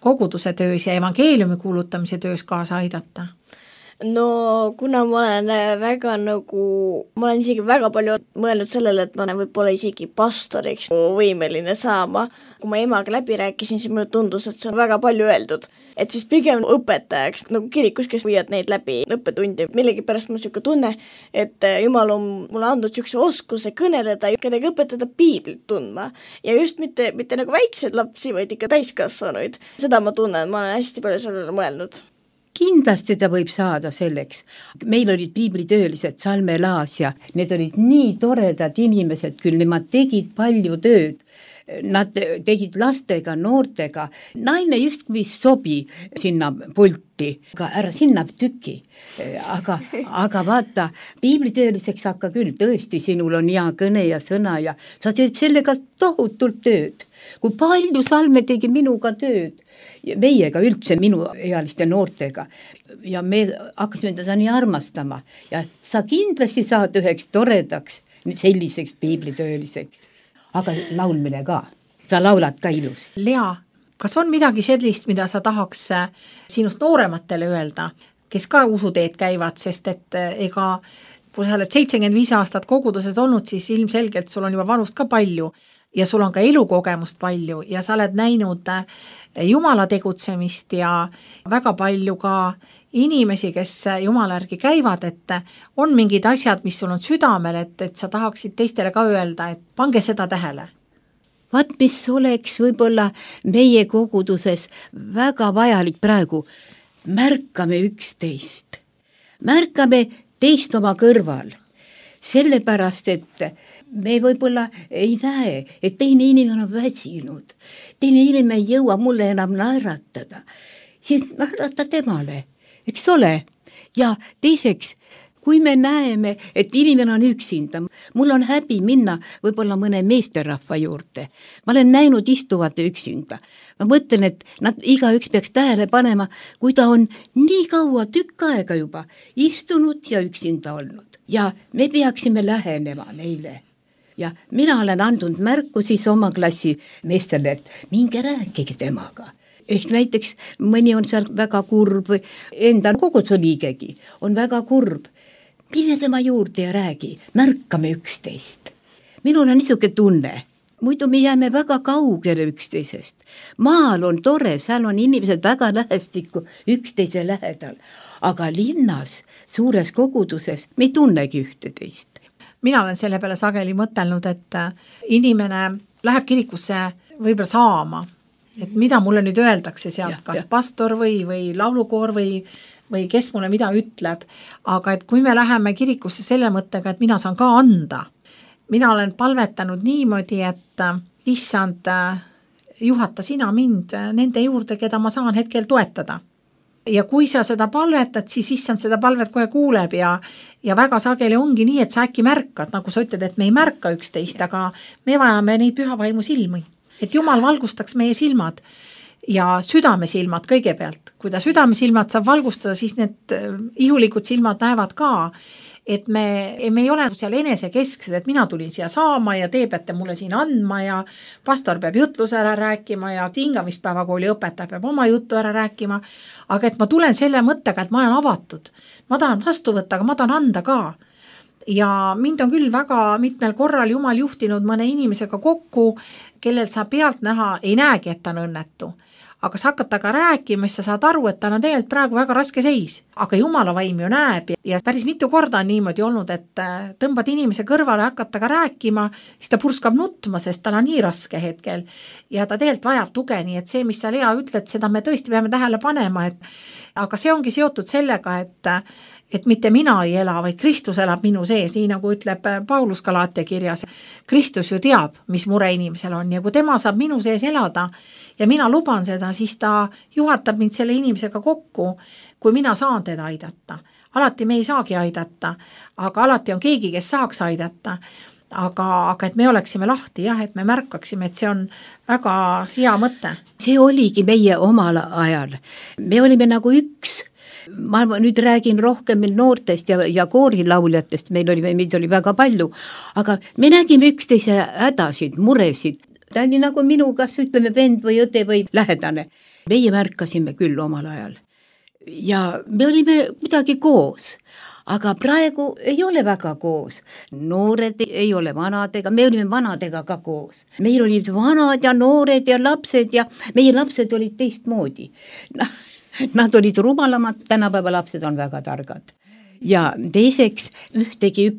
koguduse töös ja evangeeliumi kuulutamise töös kaasa aidata? No kuna ma olen isegi väga palju mõelnud sellele, et ma olen võib-olla isegi pastoriks võimeline saama. Kui ma emaga läbi rääkisin, siis mulle tundus, et see on väga palju öeldud. Et siis pigem õpetajaks, nagu kirikus, kes viivad neid läbi õppetundi. Millegipärast mul siuke tunne, et Jumal on mulle andnud siukse oskuse kõneleda ja kedagi õpetada piiblit tundma. Ja just mitte nagu väikseid lapsi, vaid ikka täiskasvanuid. Seda ma tunnen, ma olen hästi palju sellele mõelnud. Kindlasti ta võib saada selleks. Meil olid piiblitöölised Salme Laas ja need olid nii toredad inimesed, küll nemad tegid palju tööd. Nad tegid lastega, noortega. Naine justkui sobi sinna pulti, aga ära sinna tüki. Aga vaata, piiblitööliseks hakka küll, tõesti, sinul on hea kõne ja sõna ja sa teed sellega tohutult tööd. Kui palju Salme tegi minuga tööd, meiega üldse minu ealiste noortega ja me hakkasime teda nii armastama ja sa kindlasti saad üheks toredaks selliseks piiblitööliseks. Aga laulmine ka, sa laulad ka ilus. Lea, kas on midagi sellist, mida sa tahaks sinust noorematele öelda, kes ka usuteed käivad, sest et ega kui sa oled 75 aastat koguduses olnud, siis ilmselgelt sul on juba vanust ka palju ja sul on ka elukogemust palju ja sa oled näinud Jumala tegutsemist ja väga palju ka inimesi, kes Jumala järgi käivad, et on mingid asjad, mis sul on südamel, et sa tahaksid teistele ka öelda, et pange seda tähele. Vaat, mis oleks võib-olla meie koguduses väga vajalik praegu, märkame üksteist. Märkame teist oma kõrval, sellepärast, et me võib-olla ei näe, et teine inimene on väsinud. Teine inimene ei jõua mulle enam naeratada. Siis naerata temale, eks ole? Ja teiseks, kui me näeme, et inimene on üksinda, mul on häbi minna võib-olla mõne meesterahva juurde. Ma olen näinud istuvat üksinda. Ma mõtlen, et nad igaüks peaks tähele panema, kui ta on nii kaua tükk aega juba istunud ja üksinda olnud. Ja me peaksime lähenema neile. Ja mina olen andnud märku siis oma klassi meestele, et minge rääkige temaga. Ehk näiteks mõni on seal väga kurb, enda koguduse liigegi on väga kurb. Mine tema juurde ja räägi, märkame üksteist. Minul on niisugune tunne, muidu me jääme väga kaugele üksteisest. Maal on tore, seal on inimesed väga lähestikku üksteise lähedal, aga linnas, suures koguduses me ei tunnegi ühteteist. Mina olen selle peale sageli mõtelnud, et inimene läheb kirikusse võib-olla saama, et mida mulle nüüd öeldakse sealt, kas pastor või laulukoor või kes mulle mida ütleb, aga et kui me läheme kirikusse selle mõttega, et mina saan ka anda, mina olen palvetanud niimoodi, et issand, juhata sina mind nende juurde, keda ma saan hetkel toetada. Ja kui sa seda palvetad, siis issand seda palvet kohe kuuleb ja väga sageli ongi nii, et sa äkki märkad, nagu sa ütled, et me ei märka üksteist, aga me vajame neid pühavaimu silmi, et Jumal valgustaks meie silmad ja südamesilmad kõigepealt. Kui ta südamesilmad saab valgustada, siis need ihulikud silmad näevad ka, et me ei ole seal enesekesksed, et mina tulin siia saama ja te peate mulle siin andma ja pastor peab jutluse ära rääkima ja hingamispäevakooli õpetaja peab oma juttu ära rääkima, aga et ma tulen selle mõttega, et ma olen avatud. Ma tahan vastu võtta, aga ma tahan anda ka. Ja mind on küll väga mitmel korral Jumal juhtinud mõne inimesega kokku, kellel sa pealt näha ei näegi, et ta on õnnetu. Aga sa hakkad taga rääkima, siis sa saad aru, et ta on tegelikult praegu väga raske seis. Aga Jumala vaim ju näeb ja päris mitu korda on niimoodi olnud, et tõmbad inimese kõrvale, hakkad taga rääkima, siis ta purskab nutma, sest tal on nii raske hetkel. Ja ta tegelikult vajab tuge, nii et see, mis sa Lea ütled, seda me tõesti peame tähele panema. Aga see ongi seotud sellega, et mitte mina ei ela, vaid Kristus elab minu sees, nii nagu ütleb Paulus Galaatia kirjas. Kristus ju teab, mis mure inimesel on ja kui tema saab minu sees elada ja mina luban seda, siis ta juhatab mind selle inimesega kokku, kui mina saan teda aidata. Alati me ei saagi aidata, aga alati on keegi, kes saaks aidata. Aga et me oleksime lahti, jah, et me märkaksime, et see on väga hea mõte. See oligi meie omal ajal. Me olime nagu üks. Ma nüüd räägin rohkem noortest ja koorilauljatest, meid oli väga palju, aga me nägime üksteise hädasid, muresid. Ta oli nagu minu, kas ütleme vend või õde või lähedane. Meie märkasime küll omal ajal ja me olime kuidagi koos, aga praegu ei ole väga koos. Noored ei ole vanadega, me olime vanadega ka koos. Meil olid vanad ja noored ja lapsed ja meie lapsed olid teistmoodi. Nad olid rumalamad, tänapäeva lapsed on väga targad. Ja teiseks ühtegi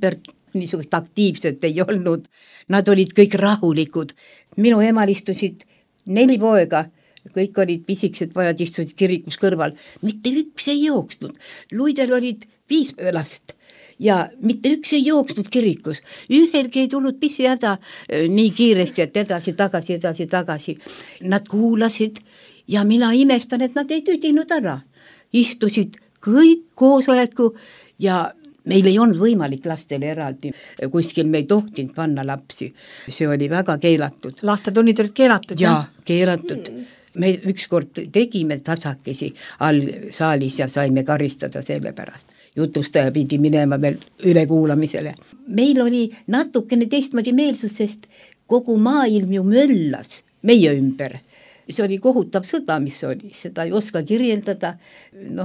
niisugust aktiivset ei olnud. Nad olid kõik rahulikud. Minu emal istusid 4 poega, kõik olid pisikesed pojad, istusid kirikus kõrval. Mitte üks ei jooksnud. Luidel olid 5 last ja mitte üks ei jooksnud kirikus. Ühelgi ei tulnud pissihäda nii kiiresti, et edasi, tagasi. Nad kuulasid ja mina imestan, et nad ei tüdinud ära. Istusid kõik koosoleku ja meil ei olnud võimalik lastele eraldi. Kuskil me ei tohtinud panna lapsi. See oli väga keelatud. Lastetunnid olid keelatud? Ja, keelatud. Me ükskord tegime tasakesi all saalis ja saime karistada selle pärast. Jutustaja pidi minema veel ülekuulamisele. Meil oli natukene teistmoodi meelsus, sest kogu maailm ju möllas meie ümber. See oli kohutav sõda, mis oli, seda ei oska kirjeldada,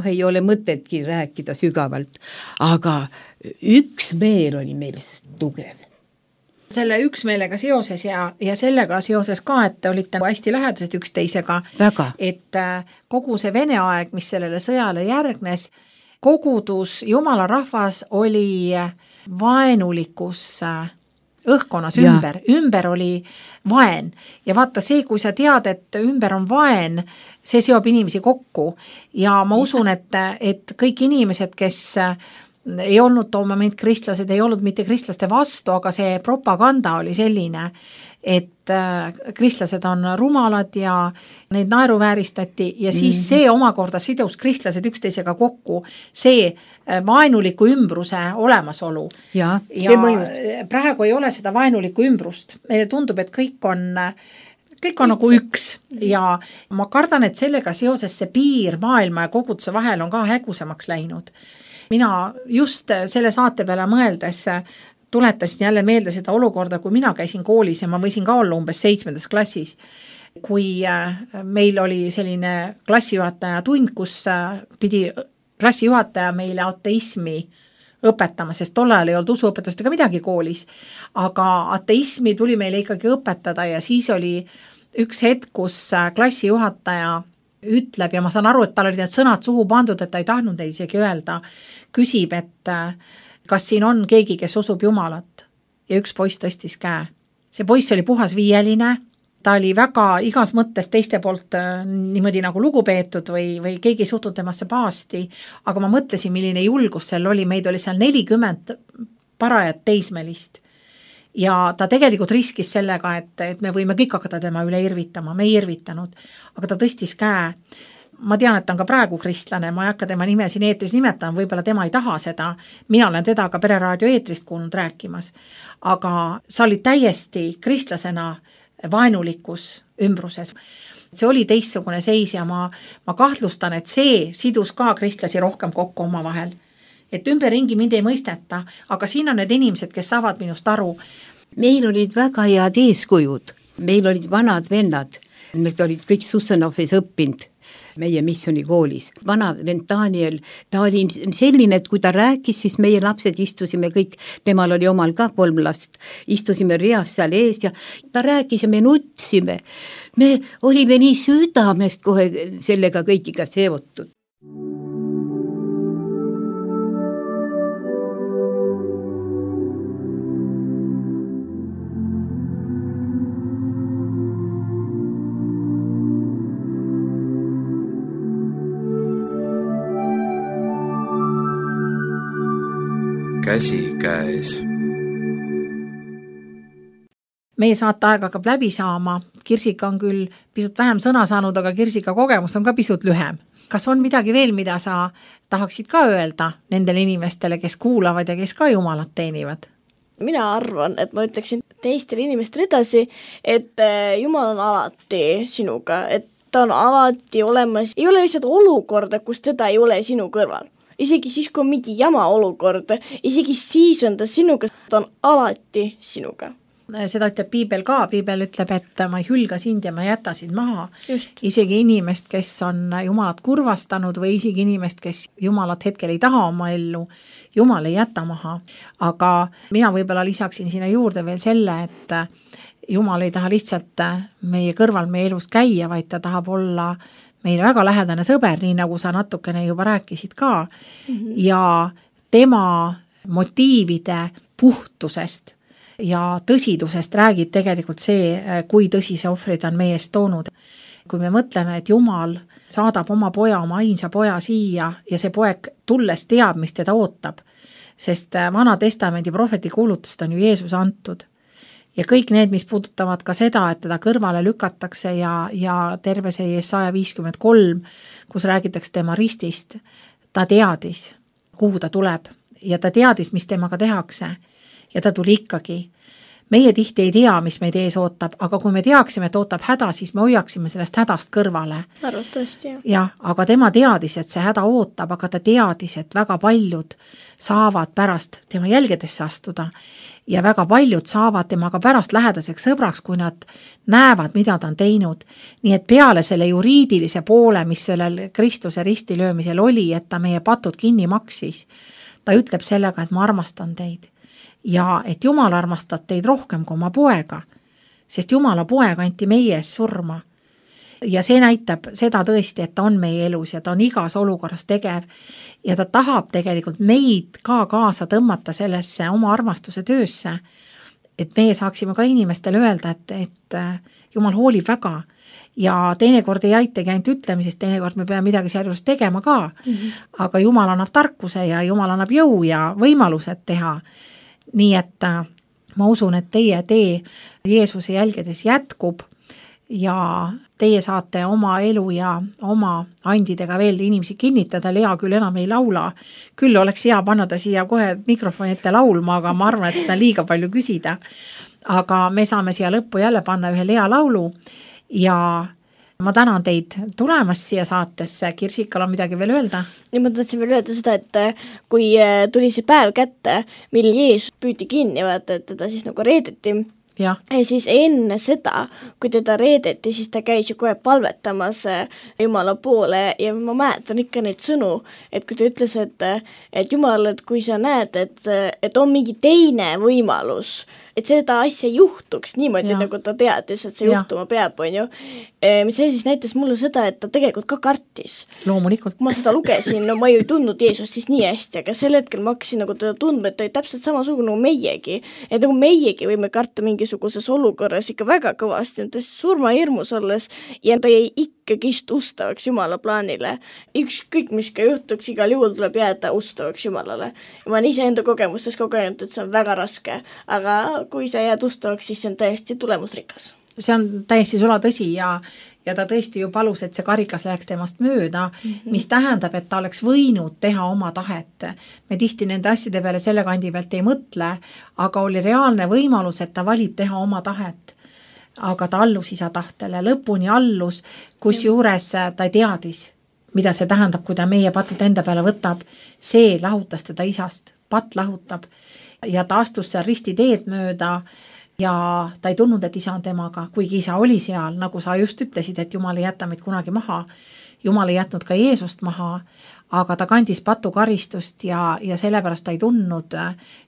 ei ole mõtetki rääkida sügavalt, aga üks meel oli meil tugev. selle üksmeelega seoses ja sellega seoses ka, et te olite hästi lähedased üksteisega. Väga. Et kogu see Vene aeg, mis sellele sõjale järgnes, kogudus, jumala rahvas oli vaenulikus õhkkonnas ümber oli vaen ja vaata see, kui sa tead, et ümber on vaen, see seob inimesi kokku ja ma usun, et kõik inimesed, kes ei olnud too moment kristlased, ei olnud mitte kristlaste vastu, aga see propaganda oli selline, et kristlased on rumalad ja neid naeruvääristati ja siis see omakorda sidus kristlased üksteisega kokku, see vaenuliku ümbruse olemasolu. Ja see mõjub. Praegu ei ole seda vaenulikku ümbrust. Meile tundub, et kõik on nagu üks ja ma kardan, et sellega seoses see piir maailma ja koguduse vahel on ka hägusemaks läinud. Mina just selle saate peale mõeldes tuletasin jälle meelde seda olukorda, kui mina käisin koolis ja ma võisin ka olla umbes 7. klassis, kui meil oli selline klassijuhataja tund, kus pidi klassijuhataja meile ateismi õpetama, sest tol ajal ei olnud usuõpetust ega midagi koolis, aga ateismi tuli meile ikkagi õpetada ja siis oli üks hetk, kus klassijuhataja ütleb ja ma saan aru, et tal olid need sõnad suhu pandud, et ta ei tahtnud neid isegi öelda, küsib, et kas siin on keegi, kes usub Jumalat ja üks poiss tõstis käe. See poiss oli puhas viieline, ta oli väga igas mõttes teiste poolt niimoodi nagu lugupeetud või keegi suhtud temasse pahasti, aga ma mõtlesin, milline julgus seal oli, meid oli seal 40 parajat teismelist ja ta tegelikult riskis sellega, et me võime kõik hakata tema üle irvitama, me ei irvitanud, aga ta tõstis käe. Ma tean, et ta on ka praegu kristlane, ma ei hakka tema nime siin eetris nimetama, võib-olla tema ei taha seda, mina olen teda ka Pereraadio eetrist kuulnud rääkimas, aga sa olid täiesti kristlasena vaenulikus ümbruses. See oli teistsugune seis ja ma kahtlustan, et see sidus ka kristlasi rohkem kokku oma vahel. Et ümberringi mind ei mõisteta, aga siin on need inimesed, kes saavad minust aru. Meil olid väga head eeskujud, meil olid vanad vennad, need olid kõik Sussanovis õppinud meie missionikoolis. Vana vend Daniel, ta oli selline, et kui ta rääkis, siis meie lapsed istusime kõik, temal oli omal ka 3 last, istusime reas seal ees ja ta rääkis ja me nutsime. Me olime nii südamest kohe sellega kõigiga seotud. Käsikäes. Meie saateaeg hakkab läbi saama. Kirsika on küll pisut vähem sõna saanud, aga Kirsika kogemus on ka pisut lühem. Kas on midagi veel, mida sa tahaksid ka öelda nendele inimestele, kes kuulavad ja kes ka Jumalat teenivad? Mina arvan, et ma ütleksin teistele inimestele edasi, et Jumal on alati sinuga, et ta on alati olemas. Ei ole lihtsalt olukorda, kus teda ei ole sinu kõrval. Isegi siis, kui on mingi jama olukord, isegi siis on ta sinuga, ta on alati sinuga. Seda ütleb Piibel ka, Piibel ütleb, et ma ei hülga sind ja ma jäta sind maha. Just. Isegi inimest, kes on Jumalat kurvastanud või isegi inimest, kes Jumalat hetkel ei taha oma ellu, Jumal ei jäta maha. Aga mina võib-olla lisaksin sinna juurde veel selle, et Jumal ei taha lihtsalt meie kõrval meie elus käia, vaid ta tahab olla meile väga lähedane sõber, nii nagu sa natukene juba rääkisid ka, ja tema motiivide puhtusest ja tõsidusest räägib tegelikult see, kui tõsise ohvrid on meie eest toonud. Kui me mõtleme, et Jumal saadab oma poja, oma ainsa poja siia ja see poeg tulles teab, mis teda ootab, sest Vana Testamendi prohveti kuulutust on ju Jeesus antud. Ja kõik need, mis puudutavad ka seda, et teda kõrvale lükatakse ja terve see Jesaja 53, kus räägitakse tema ristist, ta teadis, kuhu ta tuleb ja ta teadis, mis temaga tehakse ja ta tuli ikkagi. Meie tihti ei tea, mis meid ees ootab, aga kui me teaksime, et ootab häda, siis me hoiaksime sellest hädast kõrvale. Arvatavasti, jah. Ja, aga tema teadis, et see häda ootab, aga ta teadis, et väga paljud saavad pärast tema jälgedesse astuda ja väga paljud saavad temaga pärast lähedaseks sõbraks, kui nad näevad, mida ta on teinud. Nii et peale selle juriidilise poole, mis sellel Kristuse ristilöömisel oli, et ta meie patud kinni maksis, ta ütleb sellega, et ma armastan teid. ja et Jumal armastab teid rohkem kui oma poega, sest Jumala poeg anti meie ees surma. Ja see näitab seda tõesti, et ta on meie elus ja ta on igas olukorras tegev ja ta tahab tegelikult meid ka kaasa tõmmata sellesse oma armastuse töösse, et meie saaksime ka inimestele öelda, et Jumal hoolib väga ja teinekord ei aitagi ainult ütlemisest, teinekord me peame midagi sealjuures tegema ka, aga Jumal annab tarkuse ja Jumal annab jõu ja võimalused teha. Nii et ma usun, et teie tee Jeesuse jälgedes jätkub ja teie saate oma elu ja oma andidega veel inimesi kinnitada. Lea küll enam ei laula, küll oleks hea panna ta siia kohe mikrofoni ette laulma, aga ma arvan, et seda on liiga palju küsida. Aga me saame siia lõppu jälle panna ühe Lea laulu ja ma tänan teid tulemast siia saatesse. Kirsikal on midagi veel öelda? Ja ma tahtsin veel öelda seda, et kui tuli see päev kätte, mil Jeesus püüti kinni, vaata, et teda siis nagu reedeti. Ja siis enne seda, kui teda reedeti, siis ta käis ju kohe palvetamas Jumala poole ja ma mäletan ikka neid sõnu, et kui ta ütles, et Jumal, et kui sa näed, et on mingi teine võimalus, et seda asja juhtuks niimoodi, nagu ta teadis, et see juhtuma peab, on ju. See siis näitas mulle seda, et ta tegelikult ka kartis. Loomulikult. Ma seda lugesin, no ma ju ei tundnud Jeesust siis nii hästi, aga sel hetkel ma hakkasin nagu teda tundma, et ta oli täpselt samasugune nagu meiegi. Et nagu meiegi võime karta mingisuguses olukorras ikka väga kõvasti, ta surmahirmus olles ja ta jäi ikkagist ustavaks Jumala plaanile. Ükskõik, mis ka juhtuks, igal juhul tuleb jääda ustavaks Jumalale. Ja ma olen ise enda kogemustes kogenud, et see on väga raske, aga kui sa jääd ustavaks, siis see on täiesti tulemusrikas. See on täiesti sula tõsi ja ta tõesti ju palus, et see karikas läheks temast mööda, mis tähendab, et ta oleks võinud teha oma tahet. Me tihti nende asjade peale selle kandi pealt ei mõtle, aga oli reaalne võimalus, et ta valib teha oma tahet. Aga ta allus isa tahtele, lõpuni allus, kus juures ta teadis, mida see tähendab, kui ta meie patud enda peale võtab. See lahutas teda isast, pat lahutab. Ja ta astus seal risti teed mööda ja ta ei tundnud, et isa on temaga, kuigi isa oli seal, nagu sa just ütlesid, et Jumal ei jäta meid kunagi maha. Jumal ei jätnud ka Jeesust maha, aga ta kandis patukaristust ja sellepärast ta ei tundnud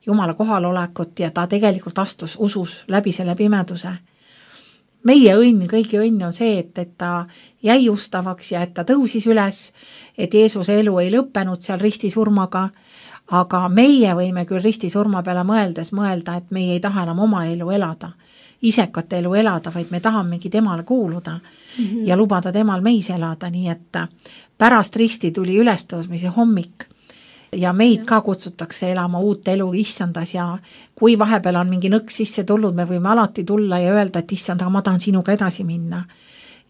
Jumala kohalolekut ja ta tegelikult astus usus läbi selle pimeduse. Meie õnn, kõigi õnn on see, et ta jäi ustavaks ja et ta tõusis üles, et Jeesuse elu ei lõppenud seal ristisurmaga, aga meie võime küll ristisurma peale mõeldes mõelda, et meie ei taha enam oma elu elada, isekat elu elada, vaid me tahamegi temale kuuluda ja lubada temal meis elada, nii et pärast risti tuli ülestõusmise hommik ja meid ka kutsutakse elama uut elu issandas ja kui vahepeal on mingi nõks sisse tulnud, me võime alati tulla ja öelda, et issand, aga ma tahan sinuga edasi minna.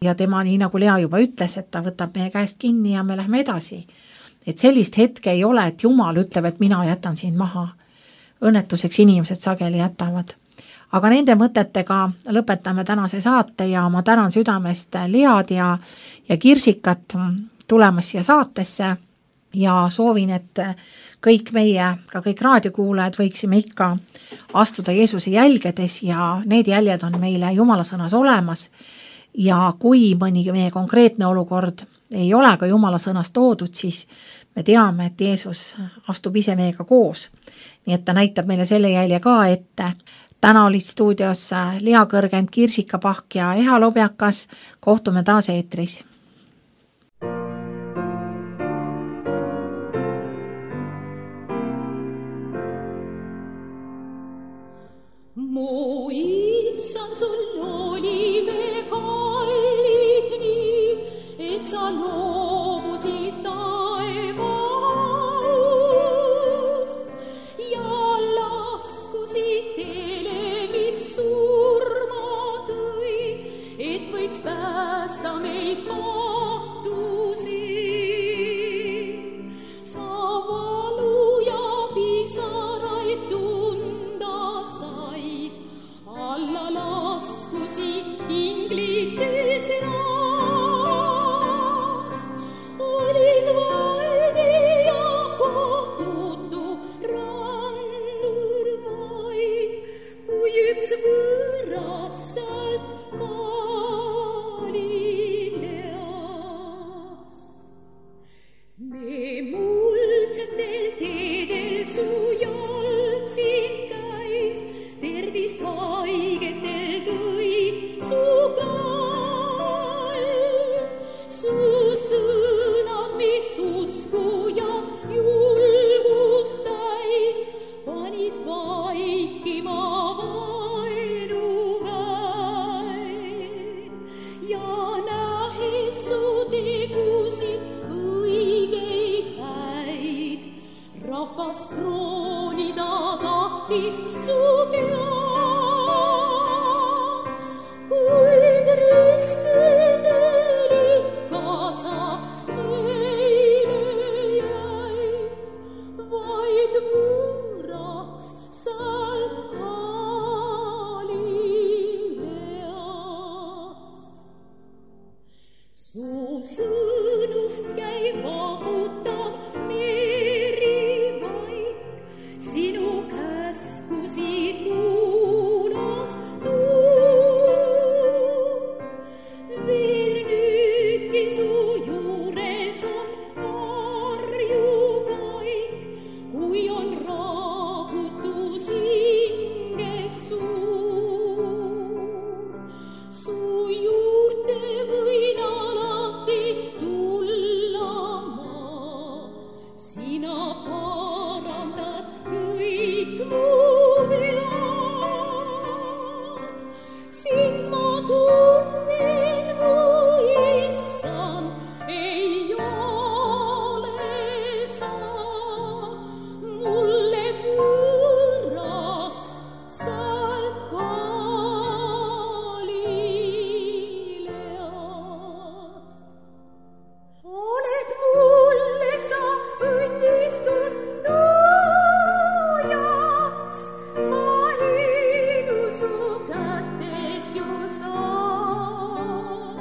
Ja tema, nii nagu Lea juba ütles, et ta võtab meie käest kinni ja me lähme edasi. Et sellist hetke ei ole, et Jumal ütleb, et mina jätan siin maha. Õnnetuseks inimesed sageli jätavad. Aga nende mõtetega lõpetame tänase saate ja ma tänan südamest Lead ja Kirsikat tulemas siia saatesse ja soovin, et kõik meie, ka kõik raadiokuulajad võiksime ikka astuda Jeesuse jälgedes ja need jäljed on meile Jumala sõnas olemas ja kui mõni meie konkreetne olukord ei ole ka Jumala sõnas toodud, siis me teame, et Jeesus astub ise meiega koos. Nii et ta näitab meile selle jälje ka ette. Täna olid stuudios Lea Kõrgend, Kirsika Pahk ja Eha Lobjakas. Kohtume taas eetris. Mu issand, sul oli me kallid nii, et sa loobusid taevaust ja laskusid teele, mis surma tõi, et võiks päästa meid patusest. Sa valu ja pisaraid tunda said, alla laskusid inglites rast. Olid vaene ja kohtutu randur vaid, kui üks võõras sealt Galileast. Me muldsetel teedel su jalg siin käis, tahtis su pead, kuid ristidel ikka sa neile jäi, vaid võõraks sealt Galileast. Su sõnust jäi vahutav merivaik, sinu käskusid kuulas tuul. Veel nüüdki su juures on varjupaik, kui on rahutus hinges suur. Su juurde võin alati tulla ma, sina parandad kõik mu vead. Sind ma tunnen, mu issand, ei ole sa mulle võõras sealt Galileast. Oled mulle sa õnnistus loojaks, ma liidu su kätest ju saan.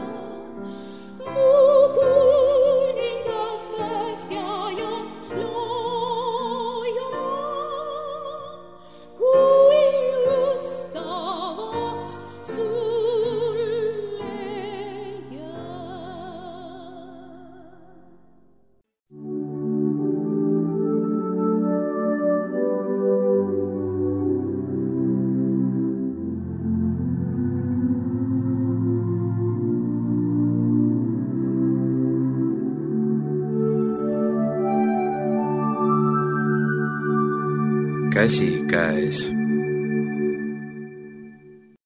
Mu kuningas, päästja ja looja, kui õstavaks sulle jää. Käsikäes.